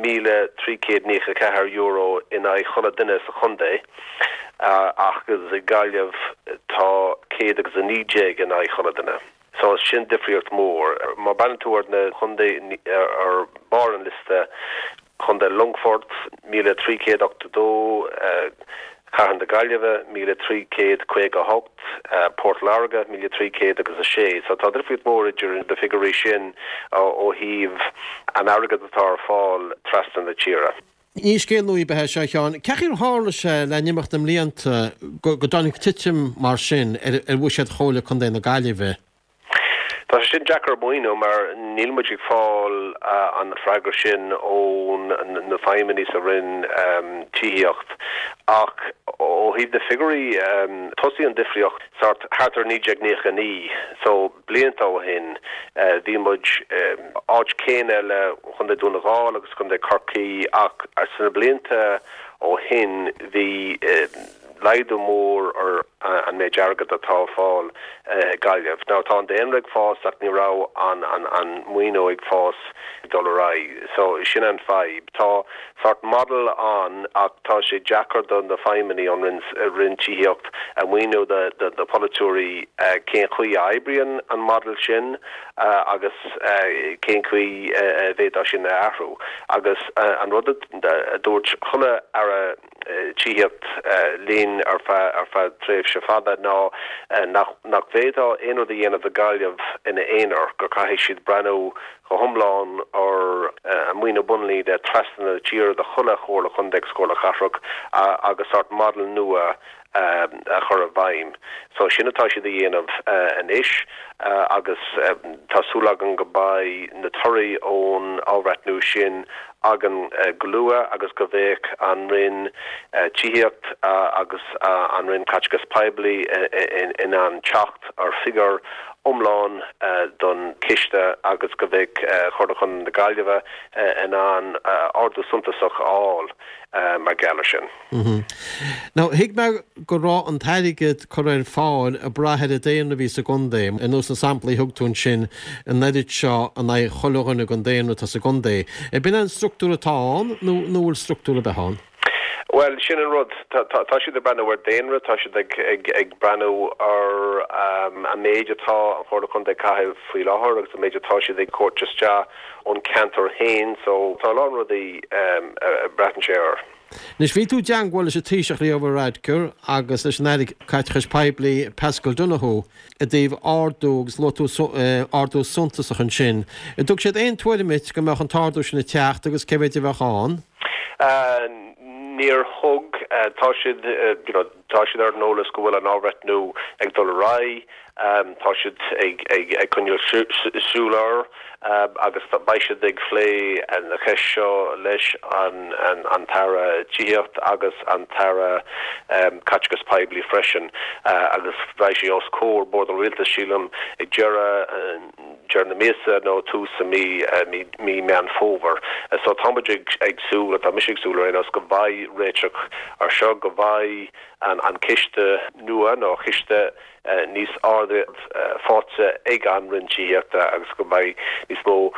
míle trí chéad naocha ceathair euro in aghaidh chuile duine sa chontae, ach agus i Gaillimh tá céad agus a naoi déag in aghaidh chuile duine. So sin difríocht mór. Má bhreathnaíonn tú ar na chontae ar barr an liosta, Contae Longfort, míle trí chéad ochtó dó, Cathair na Gaillimhe, míle trí chéad caoga a hocht, Port Láirge, míle trí chéad agus a sé. So tá difríocht mór idir na figiúirí sin ó thaobh an airgead atá ar fáil trasna na tíre. Ní scéal nua ar bith é seo, a Sheáin. Cén chaoi ar tharla sé le n-imeacht na mblianta go dtáinig titim mar sin ar bhuiséad Chomhairle Contae na Gaillimhe? Tá sé sin deacair a mhíniú mar níl muid ag fáil an freagra sin ó na feidhmeannaigh sa Roinn Tithíocht. Ach ó thaobh na figiúirí, thosaigh an difríocht sort thart ar naoi déag naocha a naoi, so blianta ó shin, bhí muid áit céanna le Chontae Dún na nGall agus Contae Chorcaí ach sna blianta ó shin bhí laghdú mór ar an méid airgead atá ar fáil i Gaillimh. Now tá an daonra ag fás ach ní raibh an an an maoiniú ag fás ag dul ar aghaidh. So sin an fadhb. Tá sort model ann ach tá sé deacair do na feidhmeannaigh ón Roinn Roinn Tithíocht a mhíniú do do do polaiteoirí cén chaoi a oibríonn an model sin agus cén chaoi a bhféadfá sin a athrú. Agus an rud a dúirt chuile Aire Tithíocht linn ar feadh ar feadh tréimhse fada ná nach nach bhféadfá aon rud a dhéanamh do Ghaillimh ina aonar, go caithfidh siad breathnú go hiomlán ar an maoiniú bonnlíne trasna na tíre do chuile chomhairle chontae agus comhairle cathrach agus sort model nua a chur i bhfeidhm. So sin atá siad a dhéanamh anois agus tá súil againn go mbeidh na torthaí ón athbhreithniú sin againn go luath agus go bheadh an Roinn Tithíocht agus an Roinn Caiteachas Poiblí in ann teacht ar figiúr iomlán don chiste agus go bheadh Comhairle Chontae na Gaillimhe in ann ardú suntasach a fháil mar gheall air sin. Now, thuig mé go raibh an t-airgead curtha ar fáil ag brath ar an daonra a bhí sa gcontae, ar nós na samplaí a thug tú ansin, an oiread seo in aghaidh chuile dhuine den daonra atá sa gcontae. Ab in an struchtúr atá ann nó nó bhfuil struchtúr ar bith ann? Bhuel, sin an rud. Tá siad ag breathnú ar daonra, tá siad ag ag ag breathnú ar an méid atá an Chomhairle Contae ag caitheamh faoi láthair agus an méid atá siad ag tabhairt isteach ón ceantar féin. So tá a lán rudaí a braitheann sé air. Anois, bhí tú i dteangmháil leis an Taoiseach Leo Varadkar agus leis an Aire Caiteachais Poiblí Paschal Donohoe i dtaobh ardú agus luaigh tú ardú suntasach ansin. An dtug siad aon tuairim duit go mbeadh an t-ardú sin ag teacht agus cé mhéid a bheadh ann? Níor thug. Tá siad, you know, tá siad ar an eolas go bhfuil an athbhreithniú ag dul ar aghaidh. Tá siad ag coinneáil súil air agus beidh siad ag phlé an cheist seo leis an tAire Tithíocht agus an tAire Caiteachais Poiblí freisin agus beidh sé os comhair Bord an Rialtais, sílim, ag deireadh deireadh na míosa nó tús mí mí Meán Fómhair. So tá muid ag súil, tá mise ag súil ar aon nós, go mbeidh réiteach ar seo, go mbeidh an ciste nua nó ciste níos airde faighte ag an Roinn Tithíochta agus go mbeidh níos mó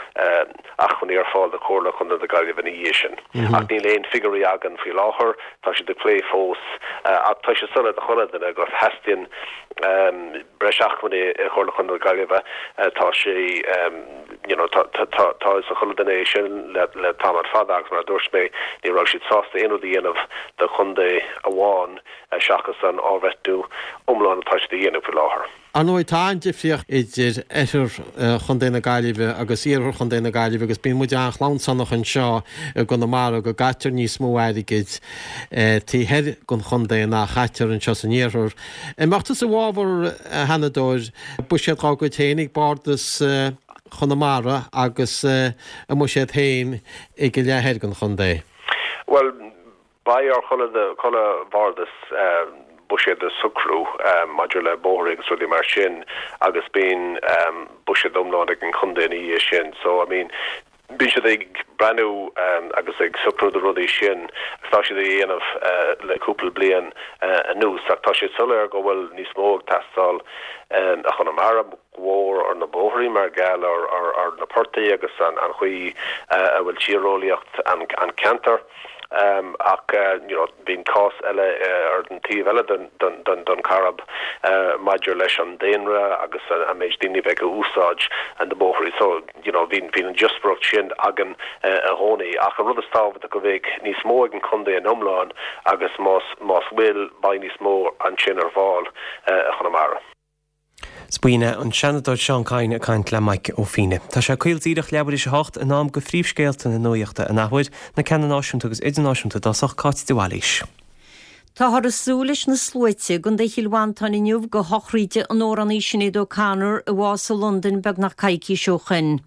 acmhainní ar fáil do Chomhairle Chontae na Gaillimhe ina dhiaidh sin. Ach níl aon figiúirí againn faoi láthair, tá siad ag plé fós ach tá sé soiléir do chuile dhuine go theastaíonn breis acmhainní i Chomhairle Chontae na Gaillimhe. Tá sé Obviously you know tá tá tá a fhios ag chuile duine é sin le le tamall fada agus mar a dúirt mé ní raibh siad sásta aon rud a dhéanamh do chontae amháin seachas an athbhreithniú iomlán atá siad a dhéanamh faoi láthair. Ar ndóigh, tá an-difríocht idir oirthear Chontae na Gaillimhe agus iarthar Chontae na Gaillimhe agus bíonn muid an-chlabhsánach anseo i gConamara go gcaitear níos mó airgid taobh thoir den chontae ná a chaitear anseo san iarthar. An mbeadh tusa i bhfabhar, a Sheanadóir, buiséad dá gcuid féin ag Bardas Chonamara agus a mbuiséad féin ag an leath thoir den chontae? Bhuel, beidh ar chuile bhardas buiséad a socrú maidir le bóithre agus rudaí mar sin agus bíonn buiséad iomlán ag an chontae ina dhiaidh sin. So, I mean, bíonn siad ag breathnú agus ag socrú na rudaí sin agus tá siad á dhéanamh le cúpla bliain anuas ach tá sé soiléir go bhfuil níos mó ag teastáil i Chonamara, go mór ar na bóithrí mar gheall ar na portaigh agus an chaoi a bhfuil tíreolaíocht an ceantair. Ach you know bíonn cás eile ar an taobh eile den chairb maidir leis an daonra agus an méid daoine a bheidh ag úsáid na bóithrí. So you know bíonn an diospóireacht sin againn i gcónaí. Ach an rud is tábhachtaí go mbeidh níos mó ag an chontae in iomlán agus más más bhfuil beidh níos mó ansin ar fáil i Chonamara. 'S b'in é an Seanadóir Seán Kyne ag caint le Mike Ó Fiaich. Tá sé caol díreach leathuair théis a hocht, in am do phríomhscéalta na nuachta an athuair, na ceanna náisiúnta agus idirnáisiúnta i dtosach, Cáit de Bhailís. Táthar ag súil leis na sluaite i gContae Chill Mhantáin inniu go shochraíde an amhránaí Sinéad O'Connor a bhásaigh i Londain beagnach coicís ó shoin.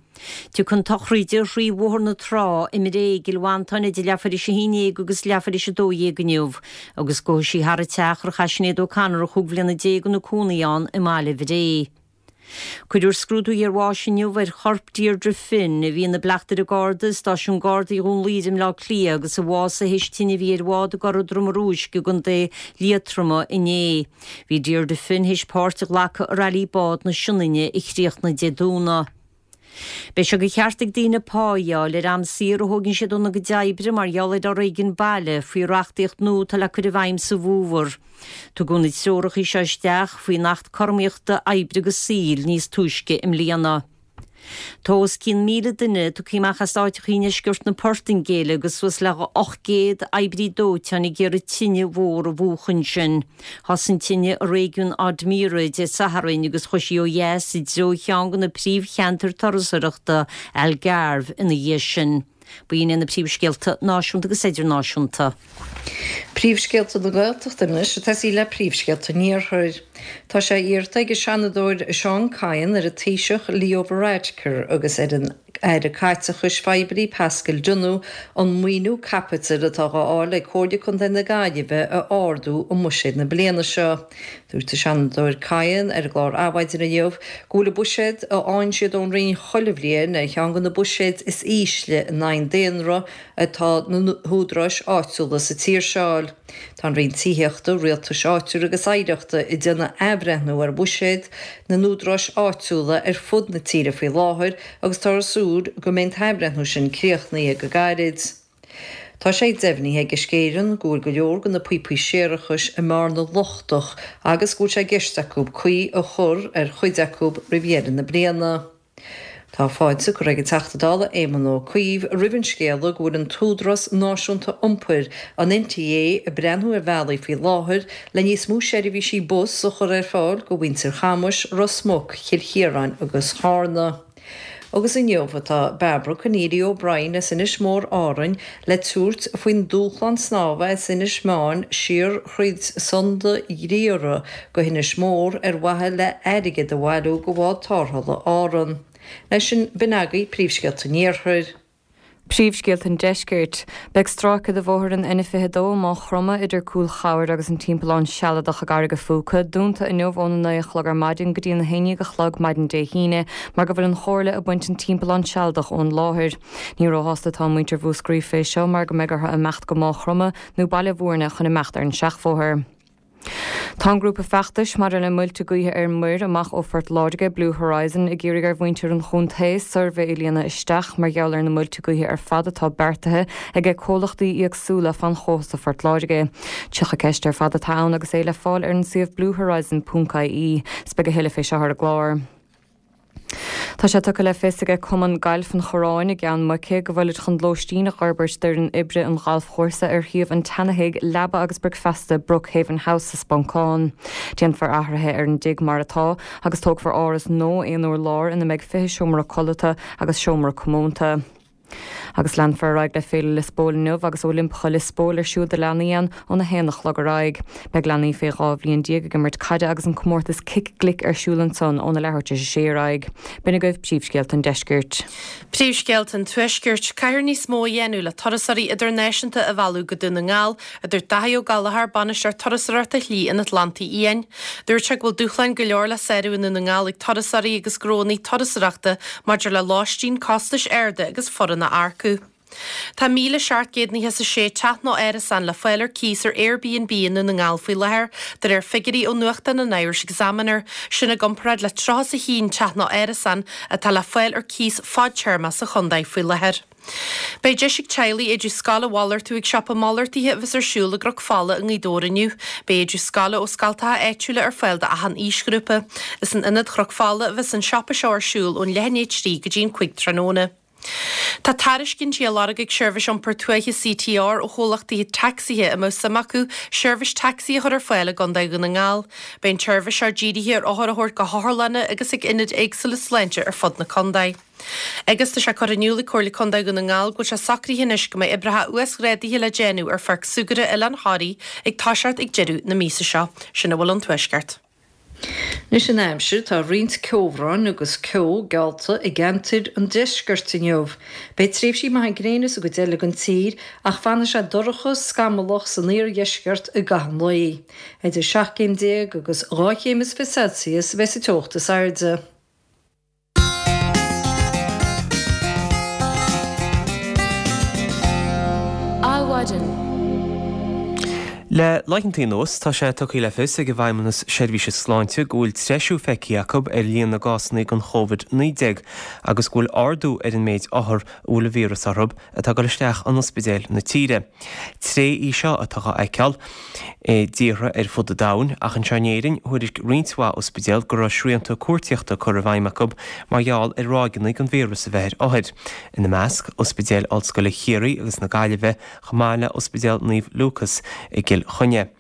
Tiocfaidh an tsochraíde thrí Bhóthar na Trá i mBré i gCill Mhantáin idir leathuair théis a haon dhéag agus leathuair théis a dó dhéag inniu agus gabhfaidh sí thar an teach ar chaith Sinéad O'Connor chúig bhliana déag ina cónaí ann i mbaile Bhré. Cuirfear scrúdú iarbháis inniu ar chorp Deirdre Finn, a bhí ina bleachtaire Garda i Stáisiún Gardaí Dhún Laoghaire i mBleá Cliath agus a bhásaigh théis tine a bhí ar bhád i gCora Droma Rúisc i gContae Liatroma inné. Bhí Deirdre Finn théis páirt a ghlacadh i Railí Bád na Sionainne a chríochnaigh Dé Domhnaigh. Beidh sé de cheart ag daoine pá a fháil ar am saor a thógann siad óna gcuid oibre mar gheall ar fhoréigean baile faoi reachtaíocht nua atá le cur i bhfeidhm sa bhfómhar. Tugadh na treoracha seo isteach faoin Acht Cothromaíochta Oibre agus Saoil níos túisce i mbliana. Tá os cionn míle duine tugtha amach as áiteacha i ndeisceart na Portaingéile agus suas le ocht gcéad oibrí dóiteáin ag iarraidh tine mhór a mhúchadh ansin. Thosaigh an tine i réigiún Odemira Dé Sathairn agus chuaigh sí ó dheas i dtreo cheann de na príomhcheantair turasóireachta, Algarve, ina dhiaidh sin. B'in iad na príomhscéalta náisiúnta agus idirnáisiúnta. Príomhscéalta na Gaeltachta anois ag tosaí le príomhscéalta an Iarthair. Tá sé iarrta ag an Seanadóir Seán Kyne ar an Taoiseach Leo Varadkar agus ar an Aire Caiteachais Phoiblí Paschal Donohoe an maoiniú caipitil atá á fháil ag Comhairle Contae na Gaillimhe a ardú i mbuiséad na bliana seo. Dúirt an Seanadóir Kyne ar an gclár Adhmhaidin inniu go bhfuil an buiséad a fhaigheann siad ón Roinn chuile bhliain ar cheann de na buiséid is ísle in aghaidh an daonra atá na húdaráis áitiúla sa tír seo. Tá an Roinn Tithíochta, Rialtais Áitiúil agus Oidhreachta ag déanamh athbhreithniú ar bhuiséid na n-údaráis áitiúla ar fud na tíre faoi láthair agus táthar ag súil go mbeidh an t-athbhreithniú sin críochnaithe go gairid. Tá sé deimhnithe ag Uisce Éireann go bhfuil go leor de na píopaí séarachais i mBearna lochtach agus go bhfuil sé i gceist acu caoi a chur ar chuid acu roimh dheireadh na bliana. Tá fáilte curtha ag an Teachta Dála Éamon Ó Cuív roimh an scéala go bhfuil an tÚdarás Náisiúnta Iompair, an NTA, ag breathnú ar bhealaí faoi láthair le níos mó seirbhísí bus a chur ar fáil go mhuintir Chamuis, Ros Muc, Chill Chiaráin agus Charna. Agus inniu atá Barbara Conneely O'Brien as Inis Mór Árainn le tabhairt faoin dúshlán snámha as Inis Meáin siar thríd Sunda Ghriathra go hInis Mór ar mhaithe le airgead a bhailiú go bhád tarrthála Árann. Leis sin, b'in agaibh príomhscéalta an Iarthair. Príomhscéalta an Deiscirt. Beidh stráice de bhóthar an N fiche dó i Maigh Chromtha idir Cúil Chabhair agus an Timpeallán Sealadach i gCarraig a' Phúca dúnta inniu óna naoi a chlog ar maidin go dtí an haon déag a chlog maidin Dé hAoine mar go bhfuil an Chomhairle ag baint an timpeallán sealadach ón láthair. Ní róshásta atá muintir Mhúscraí fé seo mar go mbeidh orthu imeacht go Maigh Chromtha nó Baile Mhúirne chun imeacht ar an seachbhóthar. Tá an grúpa feachtais maidir le muilte gaoithe ar muir amach ó Phort Láirge, Blue Horizon, ag iarraidh ar mhuintir an chontae suirbhé a líonadh isteach mar gheall ar na muilte gaoithe ar fad atá beartaithe ag comhlachtaí éagsúla fan chósta Phort Láirge. Tríocha ceist ar fad atá ann agus é le fáil ar an suíomh bluehorizon ponc ie. 'S beidh a thuilleadh fé seo ar an gclár. Tá sé tugtha le fios aige Cumann Gailf an Chorráin i gCeann Muice go bhfuilid chun lóistín a fhorbairt d'fhoireann oibre an ghalfchúrsa ar shuíomh an tseanathigh leaba agus bricfeasta Brookhaven House sa Sponcán. Déanfar athruithe ar an dtigh mar atá agus tógfar áras nua aon urlár ina mbeidh fiche seomra codlata agus seomra comónta. Agus leanfar ar aghaidh le Féile Liospóil inniu agus Oilimpeacha Liospóil ar siúl do leanaí ann óna haon a chlog ar aghaidh. Beidh leanaí fé dhá bhliain déag ag imirt caide agus an comórtas cic glic ar siúl ansan óna leathuair tar éis a sé ar aghaidh. B'in agaibh príomhscéalta an deiscirt. Príomhscéalta an Tuaiscirt, Caithfear níos mó a dhéanamh le turasóirí idirnáisiúnta a mhealladh go Dún na nGall, a dúirt Daithí Ó Gallchóir, Bainisteoir Turasóireachta Shlí an Atlantaigh Fhiáin. Dúirt sé go bhfuil dúshláin go leor le sárú i nDún na nGall ag turasóirí agus gnónna turasóireachta maidir le lóistín, costais arda agus foireann a earcú. Tá míle seacht gcéad nócha is a sé teach nó árasán le fáil ar cíos ar Airbnb i nDún na nGall faoi láthair, de réir figiúirí ó nuachtán an Irish Examiner, sin i gcomparáid le tríocha is a haon teach nó árasán atá le fáil ar cíos fadtéarma sa chontae faoi láthair. Beidh deis ag teaghlaigh éide scoile a mhalartú ag siopa malartaithe a bheas ar siúl i gCnoc Fola i nGaoth Dobhair inniu. Beidh éide scoile ó scoltacha áitiúla ar fáil d'achan aoisghrúpa. Is in Ionad Chnoc Fola a bheas an siopa seo ar siúl ón leath i ndiaidh a trí go dtí an cúig tráthnóna. Tá tairiscintí á lorg ag Seirbhís Iompair Tuaithe C T R ó chomhlachtaí tacsaithe a mbeadh suim acu seirbhís tacsaí a chur ar fáil i gContae Dhún na nGall. Beidh an tseirbhís seo dírithe ar othair a thabhairt go hotharlanna agus ag ionaid éagsúla sláinte ar fud na contae. Agus tá sé curtha in iúl ag Comhairle Contae Dhún na nGall go bhfuil sé socraithe anois go mbeidh oibreacha uasghrádaithe le déanamh ar Pháirc Súgartha Oileán Thoraí ag toiseacht ag deireadh na míosa seo. Sin a bhfuil ón Tuaisceart. Anois an aimsir, tá roinnt ceobhráin agus ceo geallta i gceantair an deiscirt inniu. Beidh tréimhsí maithe gréine sa gcuid eile den tír ach fanfaidh sé dorcha, scamallach san iardheisceart i gcaitheamh an lae. Idir seacht gcéim déag agus dhá chéim is fiche Celsius a bheidh sa teocht is airde. Adhmhaidin. Le laethanta anuas, tá sé tugtha le fios ag an bhFeidhmeannas Seirbhíse Sláinte go bhfuil treisiú feicthe acu ar líon na gcásanna den Chóivid naoi déag agus go bhfuil ardú ar an méid othar a bhfuil an víreas orthu atá ag dul isteach in ospidéil na tíre. Tréith í seo atá á fheiceáil i dtíortha ar fud an domhain, ach anseo in Éirinn, thuairisc roinnt mhaith ospidéal go raibh srianta cuartaíochta curtha i bhfeidhm acu mar gheall ar ráigeanna den víreas a bheith ar othair. Ina measc, Ospidéil Ollscoile Chiarraí agus na Gaillimhe, chomh maith le Ospidéal Naomh Lúcas i gCill Chainnigh.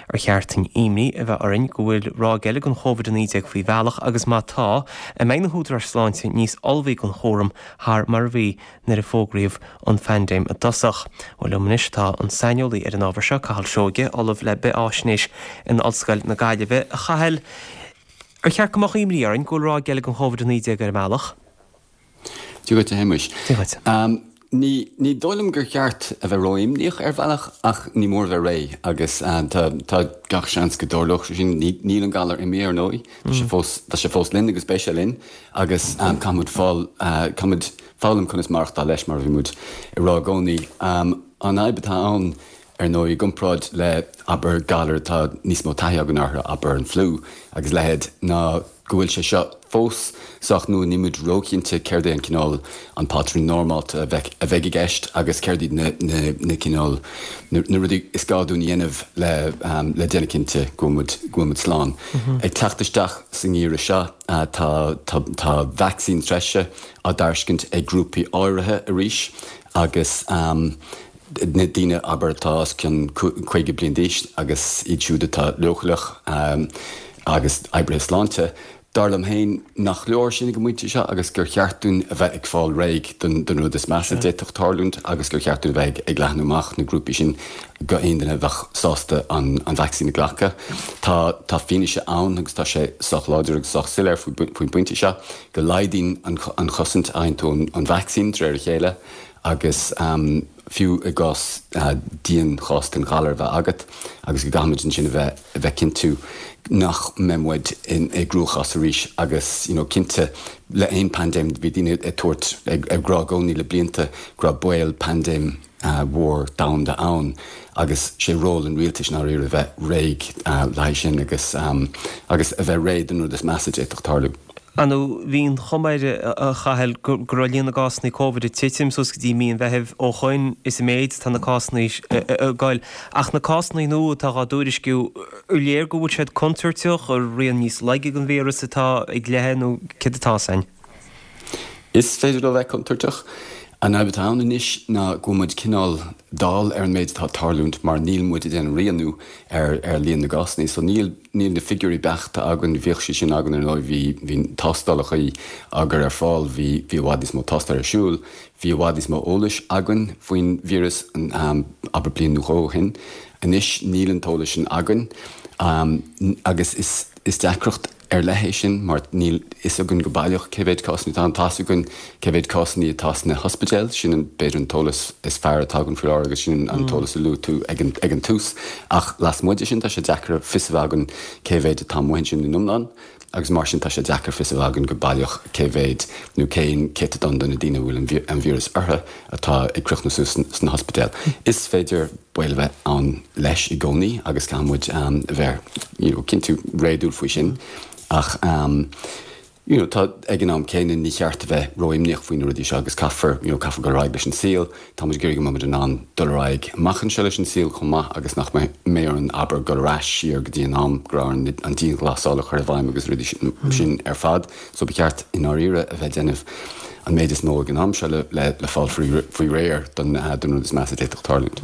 Ar cheart dúinn imní a bheith orainn go bhfuil ráig eile den Chóivid a naoi déag faoi bhealach agus má tá, an mbeidh na húdaráis sláinte níos ullmhaí don chúram thar mar a bhí nuair a fógraíodh an phaindéim i dtosach? Bhuel, liom anois tá an saineolaí ar an ábhar seo, Cathal Seoige, Ollamh le Bith-Fháisnéis in Ollscoil na Gaillimhe. A Chathail, ar cheart go mbeadh imní orainn go bhfuil ráig eile den Chóivid a naoi déag ar an mbealach? Dia dhuit, a Shéamuis. Dia dhuit. Ní, ní dóigh liom gur cheart a bheith ró-imníoch ar bhealach ach ní mór a bheith réidh agus tá, tá gach seans go dtarlódh sé sin. Ní, níl an galar imithe ar ndóigh, tá sé fós, tá sé fós linn agus beidh sé linn agus caithfimid fáil, caithfimid foghlaim conas maireachtáil leis mar a bhí muid ag rá i gcónaí. An fhadhb atá ann ar ndóigh i gcomparáid le, abair, galar atá níos mó taithí againn orthu, abair an fliú agus a leithéid, ná go bhfuil sé seo fós sách nua, níl muid róchinnte céard é an cineál, an pátrún normálta a bheidh, a bheidh i gceist agus céard iad na, na, na cineál, na, na rudaí is gá dúinn a dhéanamh le, le déanamh cinnte go bhfuil muid, go bhfuil muid slán. Ag teacht isteach sa ngeimhreadh seo, tá, tá, tá vacsaín treise á dtairiscint ag grúpaí áirithe arís agus, na daoine, abair, atá os cionn caoga bliain d'aois agus iad siúd atá leochaileach agus oibrithe sláinte. Dar liom féin nach leor sin ag an bpointe seo agus gur cheart dúinn a bheith ag fáil réidh don rud is measa a d'fhéadfadh tarlúint agus gur cheart dúinn a bheith ag leathnú amach na grúpaí sin go aon duine a bheadh sásta an vacsaín a ghlacadh. Tá tá fianaise ann agus tá sé sách láidir agus sách soiléir faoin bpointe seo go laghdaíonn an chosaint a fhaigheann tú ón vacsaín de réir a chéile agus fiú i gcás dianchás den ghalar a bheith agat agus go gcaithfimid ansin a bheith a bheith cinntiú nach mbeidh muid i gcruachás arís agus you know cinnte le aon paindéim bhí daoine ag tabhairt ag ag rá i gcónaí le blianta go raibh baol paindéim mhór domhanda ann agus sé ról an rialtais i ndáiríre a bheith réidh le haghaidh sin agus agus a bheith réidh don rud is measa a d'fhéadfadh tarlú. Ar ndóigh, bhí an chuma air, a Chathail, go raibh líon na gcásanna Covid ag titim suas go dtí mí an Mheithimh. Ó shoin is an méid tá na cásanna ag goil. Ach na cásanna nua atá á dtuairisciú, ar léir go bhfuil siad contúirteach, ar rian níos laige den víreas atá ag leitheadh nó céard atá ann? Is féidir leo bheith contúirteach. An fhadhb atá ann anois ná go bhfuil muid cineál dall ar an méid atá ag tarlúint mar níl muid ag déanamh rianú ar ar líon na gcásanna so níl níl na figiúirí beachta againn, bhíodh siad sin againn ar ndóigh bhí bhí tástálacha á gcur ar fáil, bhí bhí i bhfad níos mó tástáil ar siúl, bhí i bhfad níos mó eolais againn faoin víreas abair bliain nó dhó ó shin. Anois níl an t-eolas sin againn agus is is deacracht ar leith é sin mar níl fhios againn go baileach cé mhéid cásanna atá ann. Tá fhios againn cé mhéid cásanna atá sna hospidéil, sin an b'fhéidir an t-eolas is fearr atá againn faoi láthair agus sin an t-eolas a luaigh tú ag an ag an tús. Ach lasmuigh de sin tá sé deacair fios a bheith againn cé mhéid atá amuigh ansin in iomlán agus mar sin tá sé deacair fios a bheith againn go baileach cé mhéid nó cén céatadán de na daoine a bhfuil an víreas orthu atá ag críochnú suas sna hospidéil. Is féidir baol a bheith ann leis i gcónaí agus caithfidh muid a bheith you know cinntiú réadúil faoi sin ach you know tá ag an am céanna ní cheart a bheith ró-imníoch faoi na rudaí seo agus caithfear you know caithfear dul ar aghaidh leis an saol. Tá muid ag iarraidh go mbeidh muid in ann dul ar aghaidh amach anseo leis an saol chomh maith agus nach mbeidh orainn abair dul ar ais siar go dtí an am go raibh orainn an dianghlasáil a chur i bhfeidhm agus rudaí sin ar fad. So ba cheart i ndáiríre a bheith ag déanamh an méid is mó ag an am seo le le fáil faoi réir don don rud is measa a d'fhéadfadh tarlúint.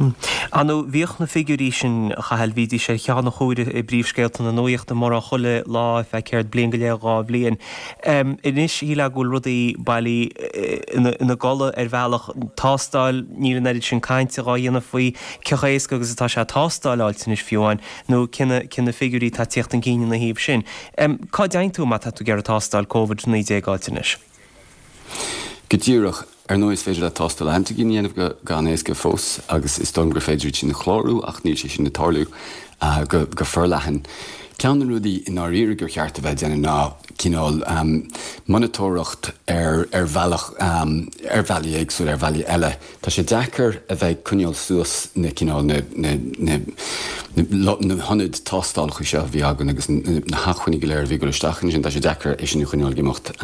Ar ndóigh, bhíodh na figiúirí sin, a Chathail, bhídís ar cheann an chomhairimh i bpríomhscéalta na nuachta mórán chuile lá ar feadh céard, bliain go leith, dhá bhliain. Anois, shílfeá go bhfuil rudaí bailí ina gcodladh ar bhealach. Tástáil, níl an oiread sin cainte dhá dhéanamh faoi cé chomh héasca agus atá sé tástáil a fháilt anois fiú amháin, nó cé na cé na figiúirí atá ag tíocht chun cinn ina thaobh sin. Cá dtéann tú má tá tú ag iarraidh tástáil Covid naoi déag a fháilt anois? Go díreach. Ar ndóigh is féidir leat tástáil antaigin a dhéanamh go han-éasca fós agus is dóigh liom gur féidir iad sin a chlárú ach níl sé sin ag tarlú go forleathan. Ceann de na rudaí i ndáiríre gur cheart a bheith ag déanamh ná cineál monatóireacht ar ar bhealach, ar bhealaí éagsúla, ar bhealaí eile. Tá sé deacair a bheith ag coinneáil suas na cineál na na na na hionaid tástálacha seo a bhí againn agus na hacmhainní go léir a bhí ag dul isteach ansin, tá sé deacair é sin a choinneáil ag imeacht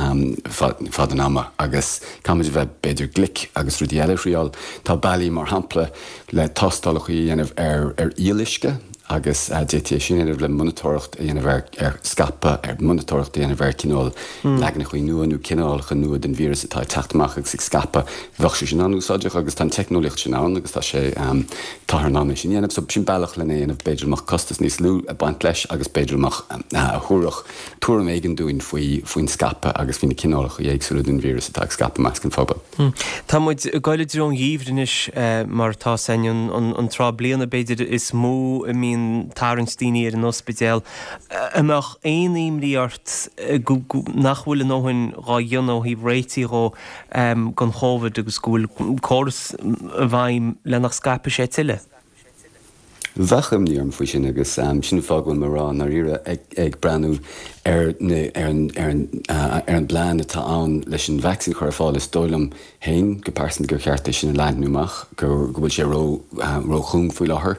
fad an ama agus caithfimid a bheith b'fhéidir glic agus rudaí eile a thriáil. Tá bealaí mar shampla le tástálacha a dhéanamh ar ar fhuíolluisce agus d'fhéadfaí é sin a dhéanamh le monatóireacht a dhéanamh ar ar scaipeadh, ar monatóireacht a dhéanamh ar cineál leaganacha nua nó cineálacha nua den víreas atá ag teacht amach agus ag scaipeadh. Bheadh sé sin an-úsáideach agus tá an teicneolaíocht sin ann agus tá sé, táthar in ann é sin a dhéanamh. So sin bealach lena dhéanamh, b'fhéidir go mbeadh costas níos lú ag baint leis agus b'fhéidir go mbeadh, a thabharfadh tuairim éigin dúinn faoi faoin scaipeadh agus faoi na cineálacha éagsúla den víreas atá ag scaipeadh i measc an phobail. Tá muid ag goil i dtreo an gheimhridh anois mar atá a fhios againn, an tráth bliana b'fhéidir is mó a mbíonn tarraingt daoine ar an ospidéal. An mbeadh aon imní ort nach bhfuil a ndóthain dhá dhéanamh ó thaobh réitigh dhó don Chóvid agus go bhfuil córas i bhfeidhm le nach scaipfidh sé tuilleadh? Bheadh imní orm faoi sin agus sin an fáth go bhfuil mé ag rá i ndáiríre ag breathnú ar na ar an ar an ar an bplean atá ann leis an vacsaín a chur ar fáil is dóigh liom féin go pearsanta gur cheart é sin a leathnú amach go go bhfuil sé ró róchúng faoi láthair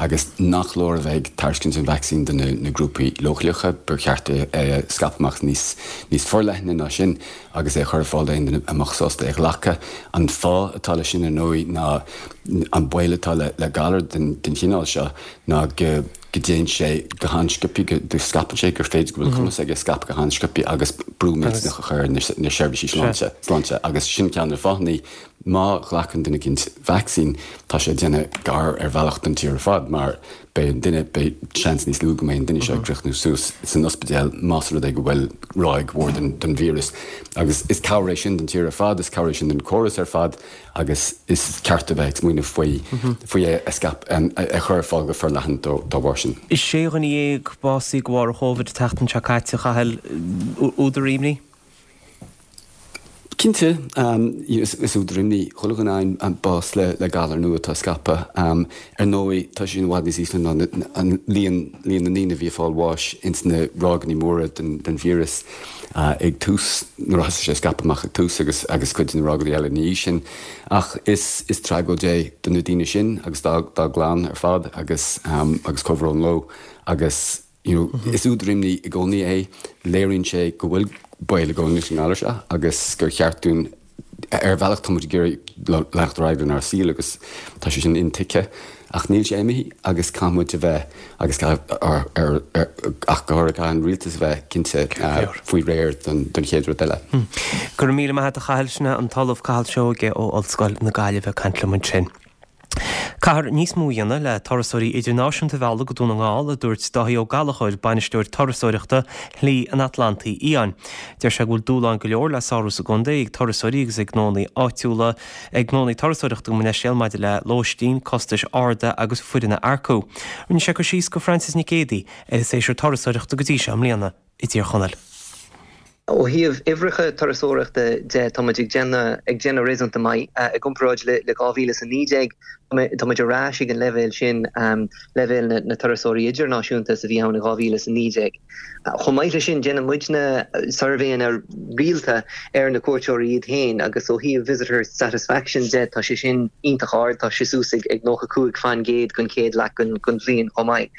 agus nach leor a bheith ag tairiscint an vacsaín do na na grúpaí leochaileacha ba cheart é a scaipeadh amach níos níos forleithne ná sin agus é a chur ar fáil d'aon duine a mbeadh sásta é a ghlacadh. An fáth atá leis sin ar ndóigh ná an baol atá le galar den chineál seo ná go dtéann sé go han-sciobtha, go scaipeann sé, gur féidir go bhfuil cumas aige scaipeadh go han-sciobtha agus brú millteanach a chur ar na seirbhísí sláinte agus sin ceann de na fáthanna má ghlacann duine eicínt vacsaín tá sé ag déanamh gar ar bhealach don tír ar fad mar beidh an duine, beidh seans níos lú go mbeidh an duine seo ag críochnú suas san ospidéal más rud é go bhfuil ráig mhór den den víreas. Agus is cabhair é sin don tír ar fad, is cabhair é sin don chóras ar fad agus is ceart a bheith ag smaoineamh faoi faoi é a scaip a chur ar fáil go forleathan dá bharr sin. Sé dhuine dhéag básaithe de bharr an Chóivid an tseachtain seo caite, a Chathail, údar imní? Cinnte, is údar imní chuile dhuine é an bás le galar nua atá ag scaipeadh. Ar ndóigh, tá sé sin i bhfad níos ísle ná líon líon na ndaoine a bhí ag fáil bháis ins na ráigeanna móra den víreas ag tús, nuair a thosaigh sé ag scaipeadh amach ag tús agus agus cuid de na ráigeanna eile ina dhiaidh sin. Ach is is tragóid é do na daoine sin agus dá dá gclann ar fad agus agus comhbhrón leo agus you know, is údar imní i gcónaí é, léiríonn sé go bhfuil baol i gcónaí leis an ngalar seo agus gur cheart dúinn, ar bhealach tá muid ag iarraidh leanacht ar aghaidh lenár saol agus tá sé sin intuigthe Ach níl sé imithe agus caithfidh muid a bheith, agus ach go háirithe caithfidh an rialtas a bheith cinnte faoi réir don chéad rud eile. Go raibh míle maith agat a Chathail, sin é an tOllamh Cathal Seoige ó Ollscoil na Gaillimhe ag caint liom ansin. Caithfear níos mó a dhéanamh le turasóirí idirnáisiúnta a mhealladh go Dún na nGall, a dúirt Dáithí Ó Gallchóir, bainisteoir turasóireachta Shlí an Atlantaigh Fhiáin. Deir sé go bhfuil dúshláin go leor le sárú sa gcontae ag turasóirí agus ag gnónnaí áitiúla, ag gnónnaí turasóireachta gabh mo leithscéal, maidir le lóistín, costais arda agus foireann a earcú. Rinne sé cur síos go Frances Nic Géadaigh ar an séasúr turasóireachta go dtí seo i mbliana i dTír Chonaill. Ó thaobh uimhreacha turasóireachta de, tá muid ag déanamh ag déanamh réasúnta maith. I gcomparáid le le dhá mhíle is a naoi déag, tá muid ar ais ag an leibhéal sin, leibhéal na na turasóirí idirnáisiúnta is a bhí ann i dhá mhíle is a naoi déag. Chomh maith leis sin, déanann muidne suirbhéanna rialta ar na cuairteoirí iad féin agus ó thaobh visitor satisfaction de, tá sé sin iontach ard, tá sé suas ag ag nócha cúig faoin gcéad don chéad leath den den bhliain chomh maith.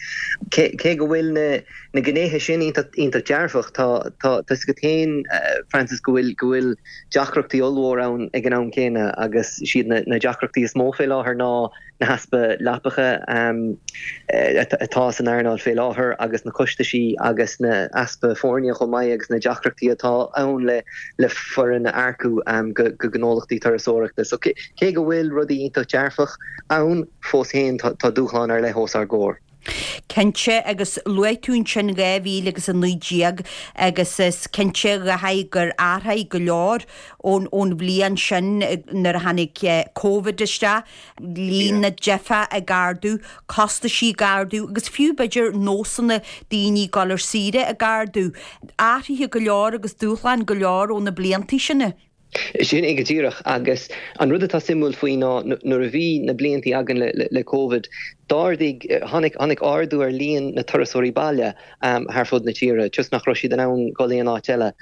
Cé cé go bhfuil na na gnéithe sin iontach dearfach. Tá tá fhios agat féin, Frances, go bhfuil go bhfuil deacrachtaí ollmhór ann ag an am céanna agus siad na na deacrachtaí is mó fé láthair ná na heaspa leapacha atá san earnáil fé láthair agus na costaisí agus na easpa foirne chomh maith agus na deacrachtaí atá ann le le foireann a earcú go go gnólachtaí turasóireachta. So cé go bhfuil rudaí iontach dearfach ann, fós féin tá tá dúshlán ar leith os ár gcomhair. Cinnte, agus luaigh tú ansin dhá mhíle agus a naoi déag agus is cinnte a Dháithí gur athraigh go leor ón ón bhliain sin nuair a tháinig Covid isteach, líon na dteifeach ag ardú, costaisí ag ardú agus fiú b'fhéidir nósanna daoine dul ar saoire ag ardú. Athruithe go leor agus dúshláin go leor ó na blianta sin. Sin é go díreach. Agus an rud atá suimiúil faoi ná nuair a bhí na bliantaí againn le Covid, d'ardaigh, tháinig, tháinig ardú ar líon na turasóirí baile thar fud na tíre, toisc nach raibh siad in ann dul aon áit eile.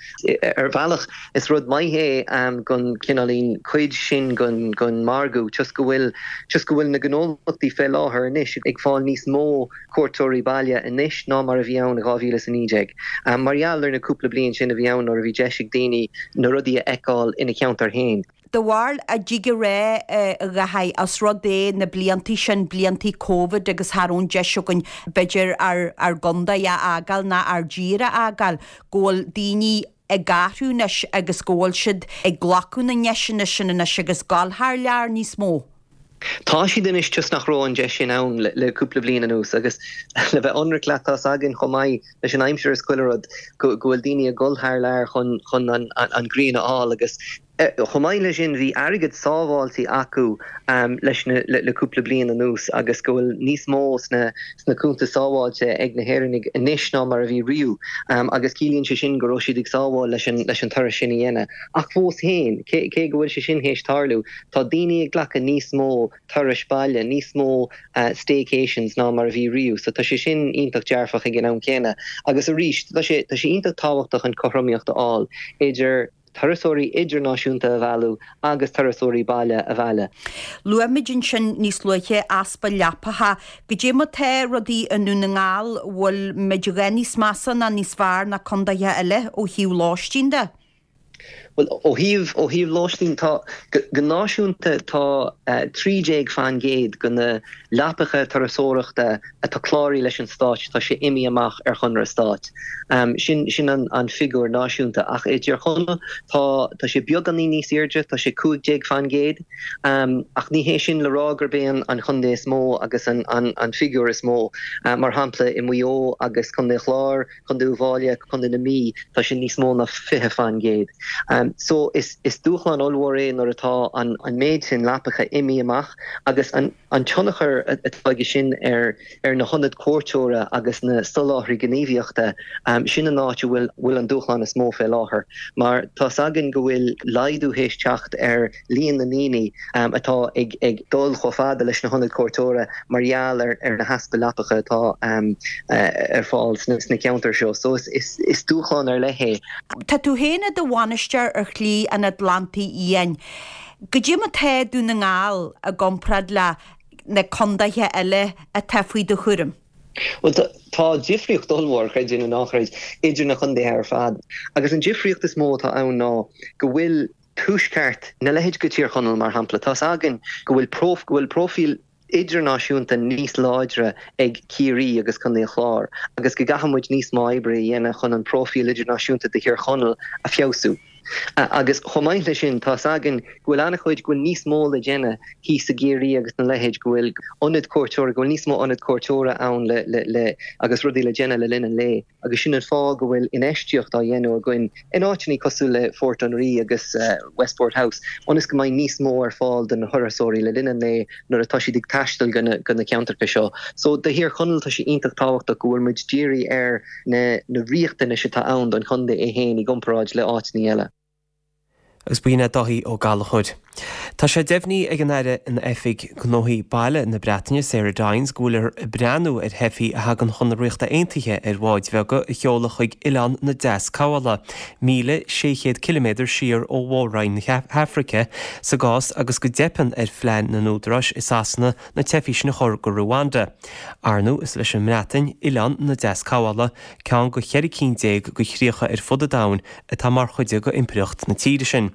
Ar bhealach, is rud maith é don cineáilín cuid sin den margadh, toisc go bhfuil, toisc go bhfuil na gnólachtaí fé láthair anois ag fáil níos mó cuairteoirí baile anois ná mar a bhí ann i dhá mhíle is a naoi déag. Mar gheall ar na cúpla bliain sin a bhí ann nuair a bhí deis ag daoine na rudaí a fheiceáil ina cheantar féin. Do bharúil an dtig a rá, a Dháithí, os rud é na bliantaí sin, bliantaí Covid agus cha raibh an deis againn b'fhéidir ár ár gcontae a fhágáil ná ár dtír a fhágáil, go bhfuil daoine ag athrú anois agus go bhfuil siad ag glacadh na ndeiseanna sin anois agus dul thar lear níos mó. Tá siad anois toisc nach raibh an deis sin ann le cúpla bliain anuas agus le bheith ionraic leat tá's againn chomh maith leis an aimsir is chuile rud go bhfuil daoine ag dul thar lear chun chun an an ghrian a fháil agus chomh maith leis sin bhí airgead sábháilte acu leis na le cúpla bliain anuas agus go bhfuil níos mó sna sna cuntais sábháilte ag na hÉireannaigh anois ná mar a bhí riamh agus ciallaíonn sé sin go raibh siad ag sábháil leis an leis an turas sin a dhéanamh ach fós féin cé cé go bhfuil sé sin théis tarlú Tá daoine ag glacadh níos mó turais baile, níos mó staycations ná mar a bhí riamh, so tá sé sin iontach dearfach ag an am céanna. Agus arís, tá sé tá sé iontach tábhachtach an cothromaíocht a fháil idir turasóirí idirnáisiúnta a mhealladh agus turasóirí baile a mhealladh. Luaigh muid ansin níos luaithe easpa leapacha. Goidé mar tá rudaí i nDún na nGall, bhfuil muid a dhath níos measa ná níos fearr ná condaetha eile ó thaobh lóistín de? Bhuel, ó thaobh, ó thaobh lóistín, tá, go náisiúnta tá trí déag faoin gcéad de na leapacha turasóireachta atá cláraithe leis an Stát, tá sé imithe amach ar chonradh stáit. Sin, sin an, an figiúr náisiúnta. Ach i dTír Chonaill tá, tá sé beagáinín níos airde, tá sé cúig déag faoin gcéad. Ach ní hé sin le rá gurb é an, an chontae is mó agus an, an, an figiúr is mó. Mar shampla, i Maigh Eo agus Contae an Chláir, Contae Uíbh Fhailí, Contae na Mí, tá sé níos mó ná fiche faoin gcéad. So is is dúshlán ollmhór é nuair atá an an méid sin leapacha imithe amach agus an an tionchar atá aige sin ar ar na hionaid cuairteora agus na soláthraí gníomhaíochta, sin an áit a bhfuil bhfuil an dúshlán is mó fé láthair. Mar tá's againn go bhfuil laghdú théis teacht ar líon na ndaoine atá ag ag dul chomh fada leis na hionaid cuairteora mar gheall ar ar na heaspa leapacha atá ar fáil sna sna ceantair seo. So is is is dúshlán ar leith é. Tá tú féin i do bhainisteoir ar Shlí an Atlantaigh Fhiáin. Goidé mar tá Dún na nGall i gcomparáid le na condaetha eile atá faoi do chúram? Bhuel, tá difríocht ollmhór, creid é nó ná creid, idir na condaetha ar fad. Agus an difríocht is mó atá ann ná go bhfuil tuaisceart na leithéid de Thír Chonaill, mar shampla, tá's againn go bhfuil go bhfuil próifíl idirnáisiúnta níos láidre ag Ciarraí agus Contae an Chláir agus go gcaithfidh muid níos mó oibre a dhéanamh chun an próifíl idirnáisiúnta de Thír Chonaill a feabhsú. Agus chomh maith leis sin, tá's againn go bhfuil an-chuid, go bhfuil níos mó le déanamh thíos i gCiarraí agus na leithéid, go bhfuil ionad cuairteora, go bhfuil níos mó ionad cuairteora ann le, le, le, agus rudaí le déanamh le linn an lae. Agus sin an fáth go bhfuil infheistíocht á dhéanamh againn in áiteanna cosúil le Fort an Rí agus Westport House, ionas go mbeidh níos mó ar fáil do na turasóirí le linn an lae nuair atá siad ag taisteal go na, go na ceantracha seo. So do Thír Chonaill tá sé iontach tábhachtach go bhfuil muid dírithe ar na, na riachtanais atá ann don chontae é féin i gcomparáid le áiteanna eile. Agus b'in é Dáithí Ó Gallchóir. Tá sé deimhnithe ag an Aire in Oifig Gnóthaí Baile na Breataine, Sarah Dines, go bhfuiltear ag breathnú ar theifigh a thagann chun na Ríochta Aontaithe ar bháid bheaga a sheoladh chuig Oileán na Deascabhála, míle sé chéad ciliméadar siar ó mhór-roinn na hAfraice, sa gcás agus go dteipeann ar phlean na n-údaráis i Sasana na teifigh sin a chur go Ruanda. Ar ndóigh, is leis an mBreatain Oileán na Deascabhála, ceann de cheithre cinn déag de chríocha ar fud an domhain atá mar chuid de impireacht na tíre sin.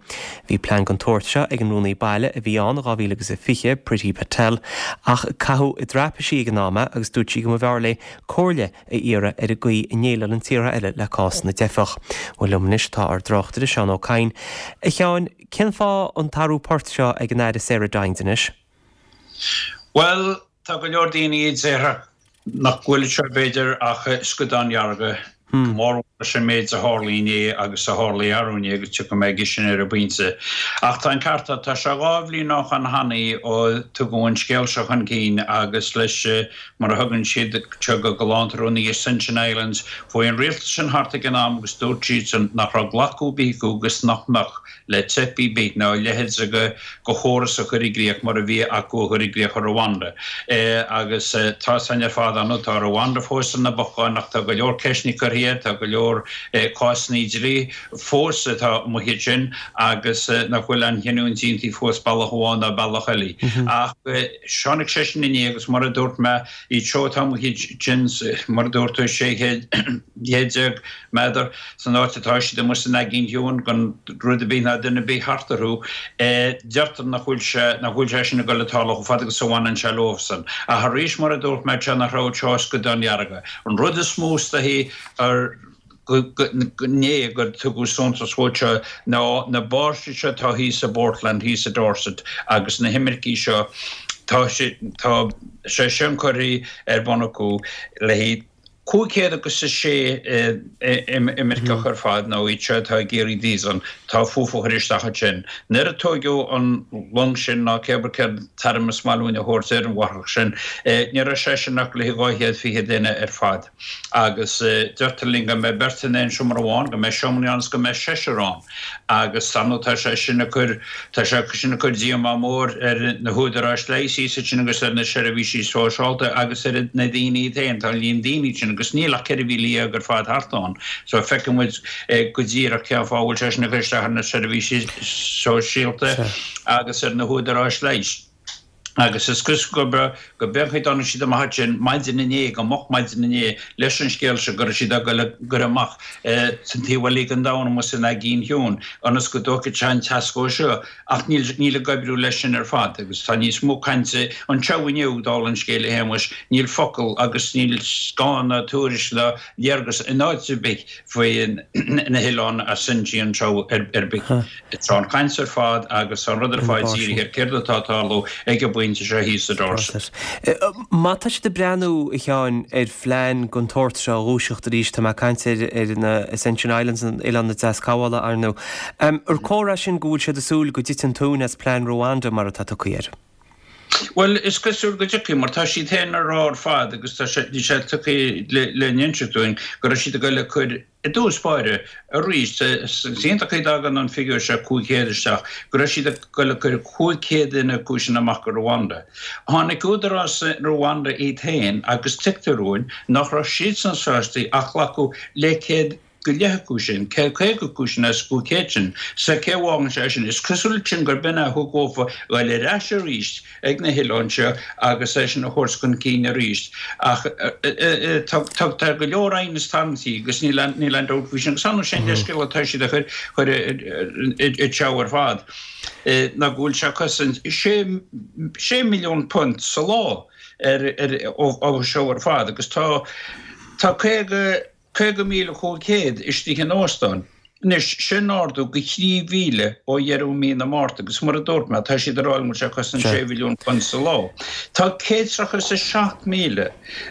Bhí plean den tsórt seo ag an Rúnaí Baile a bhí ann in dhá mhíle agus a fiche, Priti Patel, ach caitheadh i dtraipisí ag an am é agus dúirt sí go mb'fhearr léi comhairle a iarraidh ar an gcaoi a ndéileálann tíortha eile le cás na dteifeach. Bhuel liom anois tá ár dtráchtaire Seán Ó Cadhain. A Sheáin, cén fáth an t-athrú poirt seo ag an Aire Sarah Dines anois? Bhuel, tá go leor daoine a déarfadh nach bhfuil seo b'fhéidir ach scadán dearga, go mór mór leis an méid a tharla inné agus a tharla arú inné agus tiocfaidh mé aige sin ar an bpointe. Ach tá an ceart agat, tá sé dhá bhliain ó shoin cheana ó tugadh an scéal seo chun cinn agus leis, mar a thugann siad seo go galánta orthu, na Ascension Islands, chuaigh an rialtas sin thart ag an am agus dúirt siadsan nach raibh glacadh ar bith acu agus nach mbeadh le teifigh ar bith ná a leithéid de chóras a chur i gcrích mar a bhí acu a chur i gcrích i Rwanda. Agus tá san ar fad ann, tá Rwanda fós ina bocán ach tá go leor ceisteanna curtha air, tá go leor cásanna dlí fós atá amuigh ansin agus nach bhfuil aon chinniúint déanta fós bealach amháin ná bealach eile. Ach tháinig sé sin inné agus mar a dúirt mé, iad seo atá amuigh ansin, mar a dúirt tú, sé chéad déag méadar san áit atá siad amuigh san Aigéan Ciúin gan rud ar bith ná duine ar bith thart orthu, deirtear nach bhfuil sé, nach bhfuil sé sin ag dul ag tarlú chomh fada agus a bhaineann sé leosan. Ach arís, mar a dúirt mé, tá nach raibh seo scadán dearga. An rud is mó is dóichí ar inné gur tugadh suntas dhó seo ná na báirsí seo atá thíos i bPortland, thíos i Dorset agus na himircigh seo, tá sé, tá sé sin curtha ar bun acu le haghaidh cúig chéad agus a sé imirceach ar fad, nó iad seo atá ag iarraidh víosa, tá fúthu a chur isteach ansin. Nuair a tóigeadh an long sin, ná cébrí cén t-ainm is maith linn a thabhairt ar an bhárthach sin, ní raibh sé sin ach le haghaidh dhá chéad fiche duine ar fad. Agus deirtear linn go mbeidh beirt in aon seomra amháin, go mbeidh seomraí ann is go mbeidh seisear ann. Agus ar ndóigh tá sé sin ag cur, tá sé sin ag cur díomá mór ar na húdaráis leighis thíos ansin agus ar na seirbhísí sóisialta agus ar na daoine iad féin. Tá an líon daoine sin agus níl ach ceithre mhíle dhéag ar fad thart ann. So feiceann muid go díreach cén fáth a bhfuil sé sin ag cur isteach ar na seirbhísí sóisialta agus ar na húdaráis leighis. Agus is cosúil gurb go b'é an chaoi a dtáinig siad amach ansin maidin inné, go moch maidin inné, leis an scéal seo go raibh siad ag dul a gcur amach san taobh eile den domhan amuigh san Aigéan Chiúin ionas go dtógfaidh sé an teascóir seo ach níl níl ag oibriú leis sin ar fad agus tá níos mó cainte anseo inniu dála an scéil a Shéamuis, níl focal agus níl scáth ná tuairisc ná léargas in áit ar bith faoi na hoileáin Ascension anseo ar bith. Tá an chaint ar fad agus an rud ar fad dírithe ar céard atá ag tarlú ag an bpointe seo thíos i Dorset. Má tá siad ag breathnú, a Sheáin, ar phlean den tsórt seo a dhúiseacht arís, tá mé ag caint ar na Ascension Islands, Oileán na Deascabhála, ar ndóigh, ar comhartha é sin go bhfuil siad ag súil go dtitfidh an tóin as plean Rwanda mar atá tugtha air? Bhuel, is cosúil go dtiocfaidh, mar tá siad féin a rá ar fad agus tá sé, bhí sé tugtha le n-inseacht dúinn go raibh siad ag dul a cur i dtús báire arís, is iontach an chaoi a dtagann an figiúr seo cúig chéad isteach, go raibh siad ag dul a cur cúig chéad duine acu sin amach go Rwanda. Tháinig údarás Rwanda iad féin agus tuigtear dúinn nach raibh siadsan sásta ach glacadh le céad go leith acu sin, céad caoga acu sin as cúig chéad sin, so cé a bhfágann sé sin? Is cosúil sin gurb in é a thug dhófa dhul ar ais arís ag na hoileáin seo agus é sin a thabhairt chun cinn arís. Ach tá go leor aighneas tarraingtí agus níl aon dabht faoi sin. Agus ar ndóigh sé an leithscéal atá siad a chur i dtreo ar fad ná go bhfuil sé ag cosaint sé milliún punt sa lá ar ó seo ar fad agus tá tá caoga caoga míle cúig chéad istigh in óstán. Anois, sin ardú go thrí mhíle ó dheireadh mí na Márta agus mar a dúirt mé, tá siad ag rá go bhfuil sé ag cosaint sé mhilliún punt sa lá. Tá céad tríocha is a seacht míle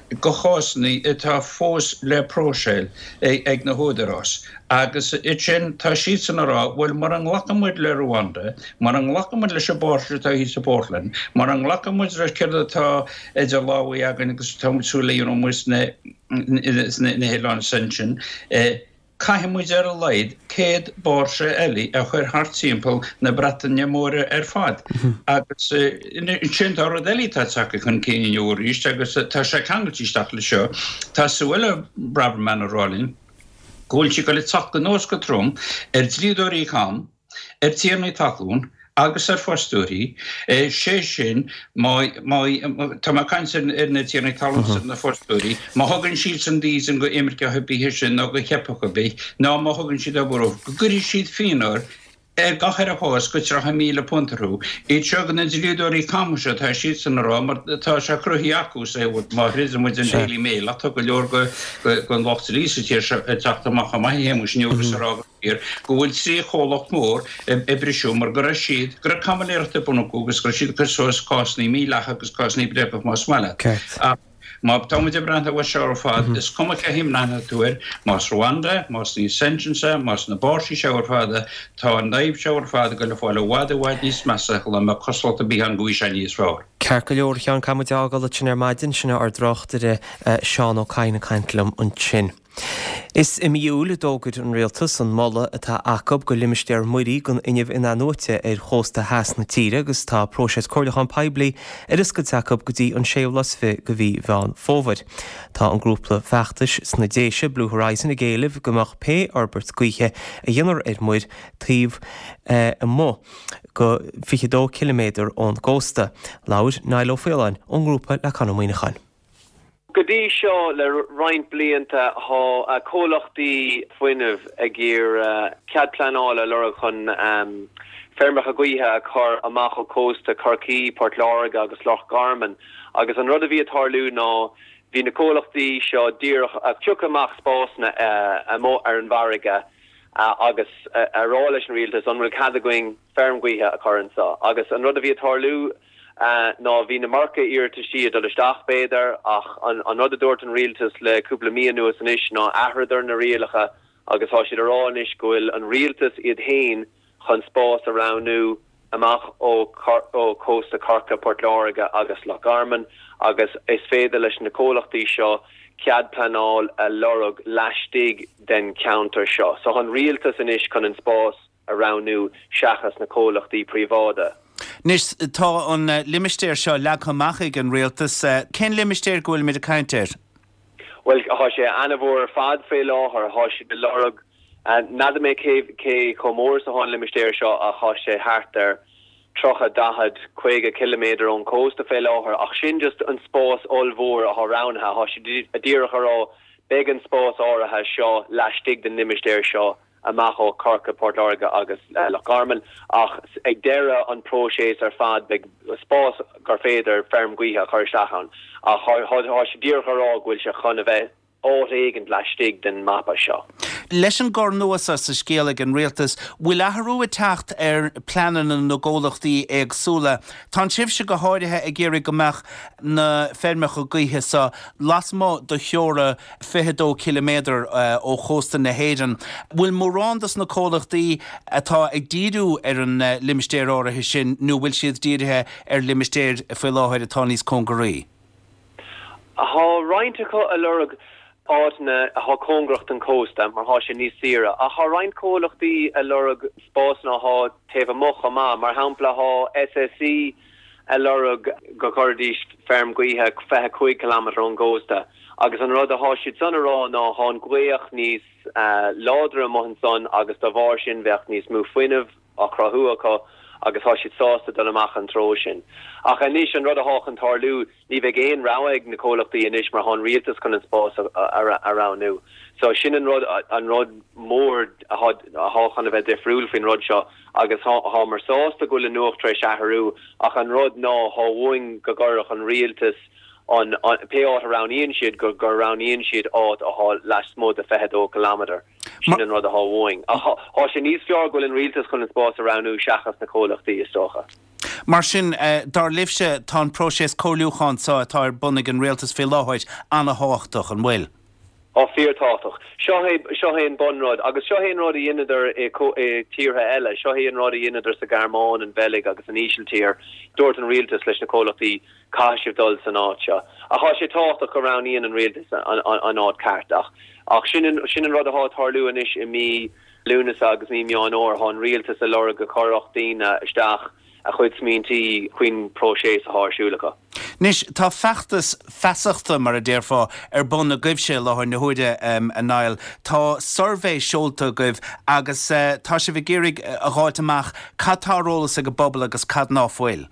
de chásanna atá fós le próiseáil ag na húdaráis agus ansin tá siadsan ag rá, bhuel mura nglacann muid le Rwanda, mura nglacann muid leis an bpáirse atá thíos i bPortland, mura nglacann muid le céard atá idir lámha againn agus atá muid súil le dhéanamh amuigh sna na hoileáin ansin, caithfidh muid ar a laghad céad báirse eile a chur thart timpeall na Breataine Móire ar fad. Agus ansin tá rud eile atá tagtha chun cinn inniu arís agus tá sé ceangailte isteach leis seo. Tá Suella Braverman ag rá linn go bhfuil sí ag dul ag teacht anuas go trom ar dlíodóirí cam, ar tiarnaí talún agus ar fostóirí, sé sin, má, má, tá mé ag caint ar na tiarnaí talún is ar na fostóirí, má thugann siadsan dídean go imirceach ar bith sin nó go theifeach ar bith, nó má thugann siad obair dóibh, go gcuirfidh siad fiontar ar gach ar a chás go tríocha míle punt orthu. Iad seo go na dlíodóirí cama seo, tá siadsan ag rá, mar tá sé cruthaithe acu, má threideann muid an Daily Mail, ach tá go leor den lucht dlí sa tír seo ag teacht amach chomh maith a Shéamuis inniu agus ag rá go fíor go bhfuil trí chomhlacht mór ag briseadh mar go raibh siad, go raibh caimiléireacht ar bun acu agus go raibh siad ag cur suas cásanna mídhleathacha agus cásanna bréagacha más maith leat. Ach má tá muid ag breathnú air seo ar fad, is cuma cé thaobh a mbreathnaíonn tú air, más Rwanda, más na ascensions, más na báirsí seo ar fad, tá an fhadhb seo ar fad ag dul a fáil i bhfad i bhfad níos measa shula mbeadh cosúlacht ar bith ann go bhfaighidh sé níos fearr. Ceart go leor, a Sheáin, caithfidh muid a fhágáil ansin ar maidin, sin é ár dtráchtaire Seán Ó Cadhain ag caint liom ansin. Is i mí Iúil a d'fhógair an Rialtas an moladh atá acu go limistéar muirí don fhuinneamh in-athnuaite ar chósta theas na tíre agus tá próiseas comhairliúcháin poiblí ar oscailt acu go dtí an séú lá is fiche de mhí Mheán Fómhair. Tá an grúpa feachtais sna Déise, Blue Horizon, ag éileamh go mbeadh pé fhorbairt gaoithe a dhéanfar ar muir taobh amuigh go fiche a dó ciliméadar ón gcósta. Labhair Niall Ó Faoláin ón ngrúpa le Conn Ó Muíneacháin. Go dtí seo le roinnt blianta tá comhlachtaí fuinnimh ag iarraidh cead pleanála a lorg chun feirmeacha gaoithe a chur amach ó chósta Chorcaí, Port Láirge agus Loch Garman agus an rud a bhí ag tarlú ná bhí na comhlachtaí seo díreach ag piocadh amach spásanna amuigh ar an bhfarraige agus a rá leis an rialtas an bhfuil cead againn feirm ghaoithe a chur anseo agus an rud a bhí ag tarlú ná bhí an iomarca iarrataisí ag dul isteach, b'fhéidir, ach an rud a dúirt an rialtas le cúpla mí anuas anois ná athraíodar na rialacha agus tá siad a rá anois go bhfuil an rialtas iad féin chun spás a roghnú amach ó chósta Chorcaí, Port Láirge agus Loch Garman agus is féidir leis na comhlachtaí seo cead pleanáil a lorg laistigh den cheantar seo. So an rialtas anois chun an spás a roghnú seachas na comhlachtaí príobháideacha. Anois, tá an limistéar seo leagtha amach ag an rialtas. Cén limistéar go bhfuilimid ag caint air? Bhuel, tá sé an-mhór ar fad fé láthair. Tá siad ag lorg, n'fheadar mé cé cé chomh mór is atá an limistéar seo ach tá sé thart ar tríocha, daichead, caoga ciliméadar ón chósta fé láthair ach sin just an spás ollmhór atá roghnaithe. Tá siad díreach a rá beidh an spás áirithe seo laistigh den limistéar seo amach ó Chorcaigh, Port Láirge agus Loch Garman ach ag deireadh an próiseas ar fad beidh spás gur féidir feirm gaoithe a chur isteach ann ach tá siad díreach a rá go bhfuil sé chun a bheith áit éigint laistigh den mapa seo. Leis an gcor nua seo sa scéal ag an rialtas, bhfuil athrú ag teacht ar pleananna na gcomhlachtaí éagsúla? Tá sibhse go háirithe ag iarraidh go mbeadh na feirmeacha gaoithe seo lasmuigh de theora fiche dó ciliméadar ó chósta na hÉireann. Bhfuil mórán dos na comhlachtaí atá ag díriú ar an limistéar áirithe sin nó bhfuil siad dírithe ar limistéir faoi láthair atá níos cóngaraí? Tá roinnt acu ag lorg áiteanna atá cóngarach don chósta mar tá sé níos saoire ach tá roinnt comhlachtaí ag lorg spásanna atá taobh amuigh chomh maith. Mar shampla tá S S E ag lorg go gcuirfidís feirm gaoithe fiche cúig kilometre ón gcósta agus an rud athá siad san a rá ná thá an ghaoth níos láidre amuigh ansan agus dá bharr sin bheadh níos mó fuinnimh á chruthú acu agus thá siad sásta dul amach an treo sin. Ach anois an rud athá chun tarlú, ní bheidh aon rogha ag na comhlachtaí anois mar thá an rialtas chun an spás a roghnú. So sin an rud, an rud mór athá chun a bheith difriúil faoin rud seo agus thámar sásta go bhfuil an nuacht tar éis athrú ach an rud ná thá uainn go gcuirfeadh an rialtas an, pé áit a roghnaíonn siad, go roghnaíonn siad áit athá lasmuigh de fiche dó kilometre. Sin an rud athá uainn. Ach thá sé níos fearr go bhfuil an rialtas chun an spás a roghnú seachas na comhlachtaí, is dócha. Mar sin, dar libhse, tá an próiseas comhairliúcháin seo atá ar bun ag an rialtas faoi láthair an-thábhachtach, an bhfuil? Á, fíorthábhachtach. Seo é, seo é an bunrud. Agus seo é an rud a dheineadar i tíortha eile. Seo é an rud a dheineadar sa Ghearmáin, an Bheilg agus an Ísiltír. Dúirt an rialtas leis na comhlachtaí, caithfidh sibh dul san áit seo. Ach tá sé tábhachtach go roghnaíonn an rialtas an áit ceart. Ach, ach sin an, sin an rud athá ag tarlú anois i mí Lúnasa agus mí Meán Fhómhair. Thá an rialtas ag lorg go gcuirfeadh daoine isteach a chuid smaointí faoin próiseas athá ar siúl acu. Anois, tá feachtas feasachta, mar a déarfá, ar bun agaibhse i láthair na huaire, a Niall. Tá suirbhé seolta agaibh agus tá sibh ag iarraidh a dh'fháilt amach cad tá ar eolas ag an bpobal agus cad ná fuil.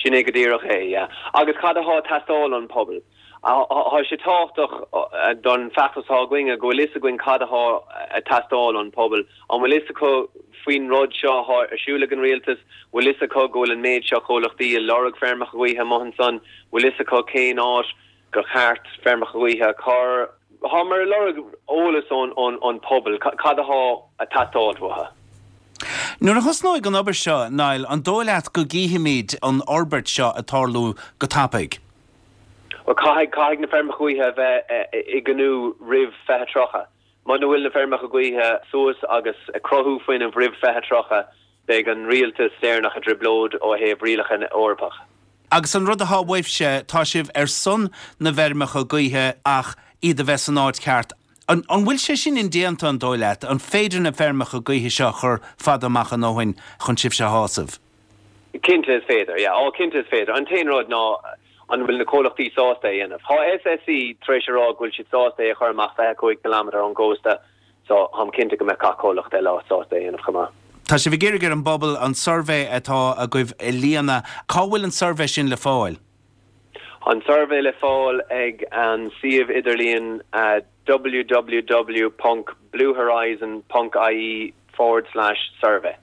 Sin é go díreach é, yeah. Agus cad athá ag teastáil ón pobal? Thá sé tábhachtach don feachtas athá againne go bhfuil fhios againn cad athá ag teastáil ón pobal. An bhfuil fhios acu faoin rud seo athá ar siúl ag an rialtas? Bhfuil fhios acu go bhfuil an méid seo comhlachtaí ag lorg feirmeacha gaoithe amuigh ansan? Bhfuil fhios acu cén áit gur cheart feirmeacha gaoithe a chur? Thámar ag lorg eolas ón pobal, cad athá ag teastáil uathu? Nuair a thosnóidh an obair seo, Niall, an dóigh leat go gcífimid an fhorbairt seo ag tarlú go tapaidh? Bhuel, caithfidh, caithfidh na feirmeacha gaoithe a bheith i gcnú roimh fiche tríocha. Muna bhfuil na feirmeacha gaoithe suas agus ag cruthú fuinnimh roimh fiche tríocha, beidh an rialtas Éireannach i dtrioblóid ó thaobh rialacha Eorpach. Agus an rud athá uaibhse, tá sibh ar son na bhfeirmeacha gaoithe ach iad a bheith san áit cheart. An bhfuil sé sin indéanta, an dóigh leat? An féidir na feirmeacha gaoithe seo a chur fada amach a ndóthain chun sibhse a shásamh? Cinnte is féidir, yeah. Á, cinnte is féidir. An t-aon rud ná an bhfuil na comhlachtaí sásta é a dhéanamh. Tá SSE tar éis a rá go bhfuil siad sásta é a chur amach fiche cúig ciliméadar ón gcósta so táim cinnte go mbeadh gach comhlacht eile sásta é a dhéanamh chomh maith. Tá sibh ag iarraidh ar an bpobal an suirbhé atá agaibh a líonadh. Cá bhfuil an suirbhé sin le fáil? Tá an suirbhé le fáil ag an suíomh idirlíon www ponc bluehorizon ponc ie forward slash survey.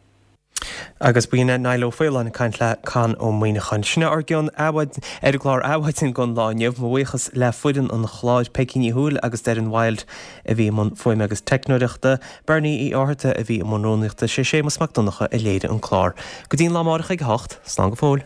Agus b'in é Niall Ó Faoláin ag caint le Conn Ó Muíneacháin. Sin é ár gcion ar an gclár Adhmhaidin don lá inniu. Mo bhuíochas le foireann an chláir, Peigí Ní Thuathail agus Doireann Wilde a bhí i mbun fuaime agus teicneoireachta, Bernie Uí Fhátharta a bhí i mbun rúnaíochta, sé Séamus Mac Donncha a léirigh an clár. Go dtí an lá amárach ag a hocht, slán go fóill.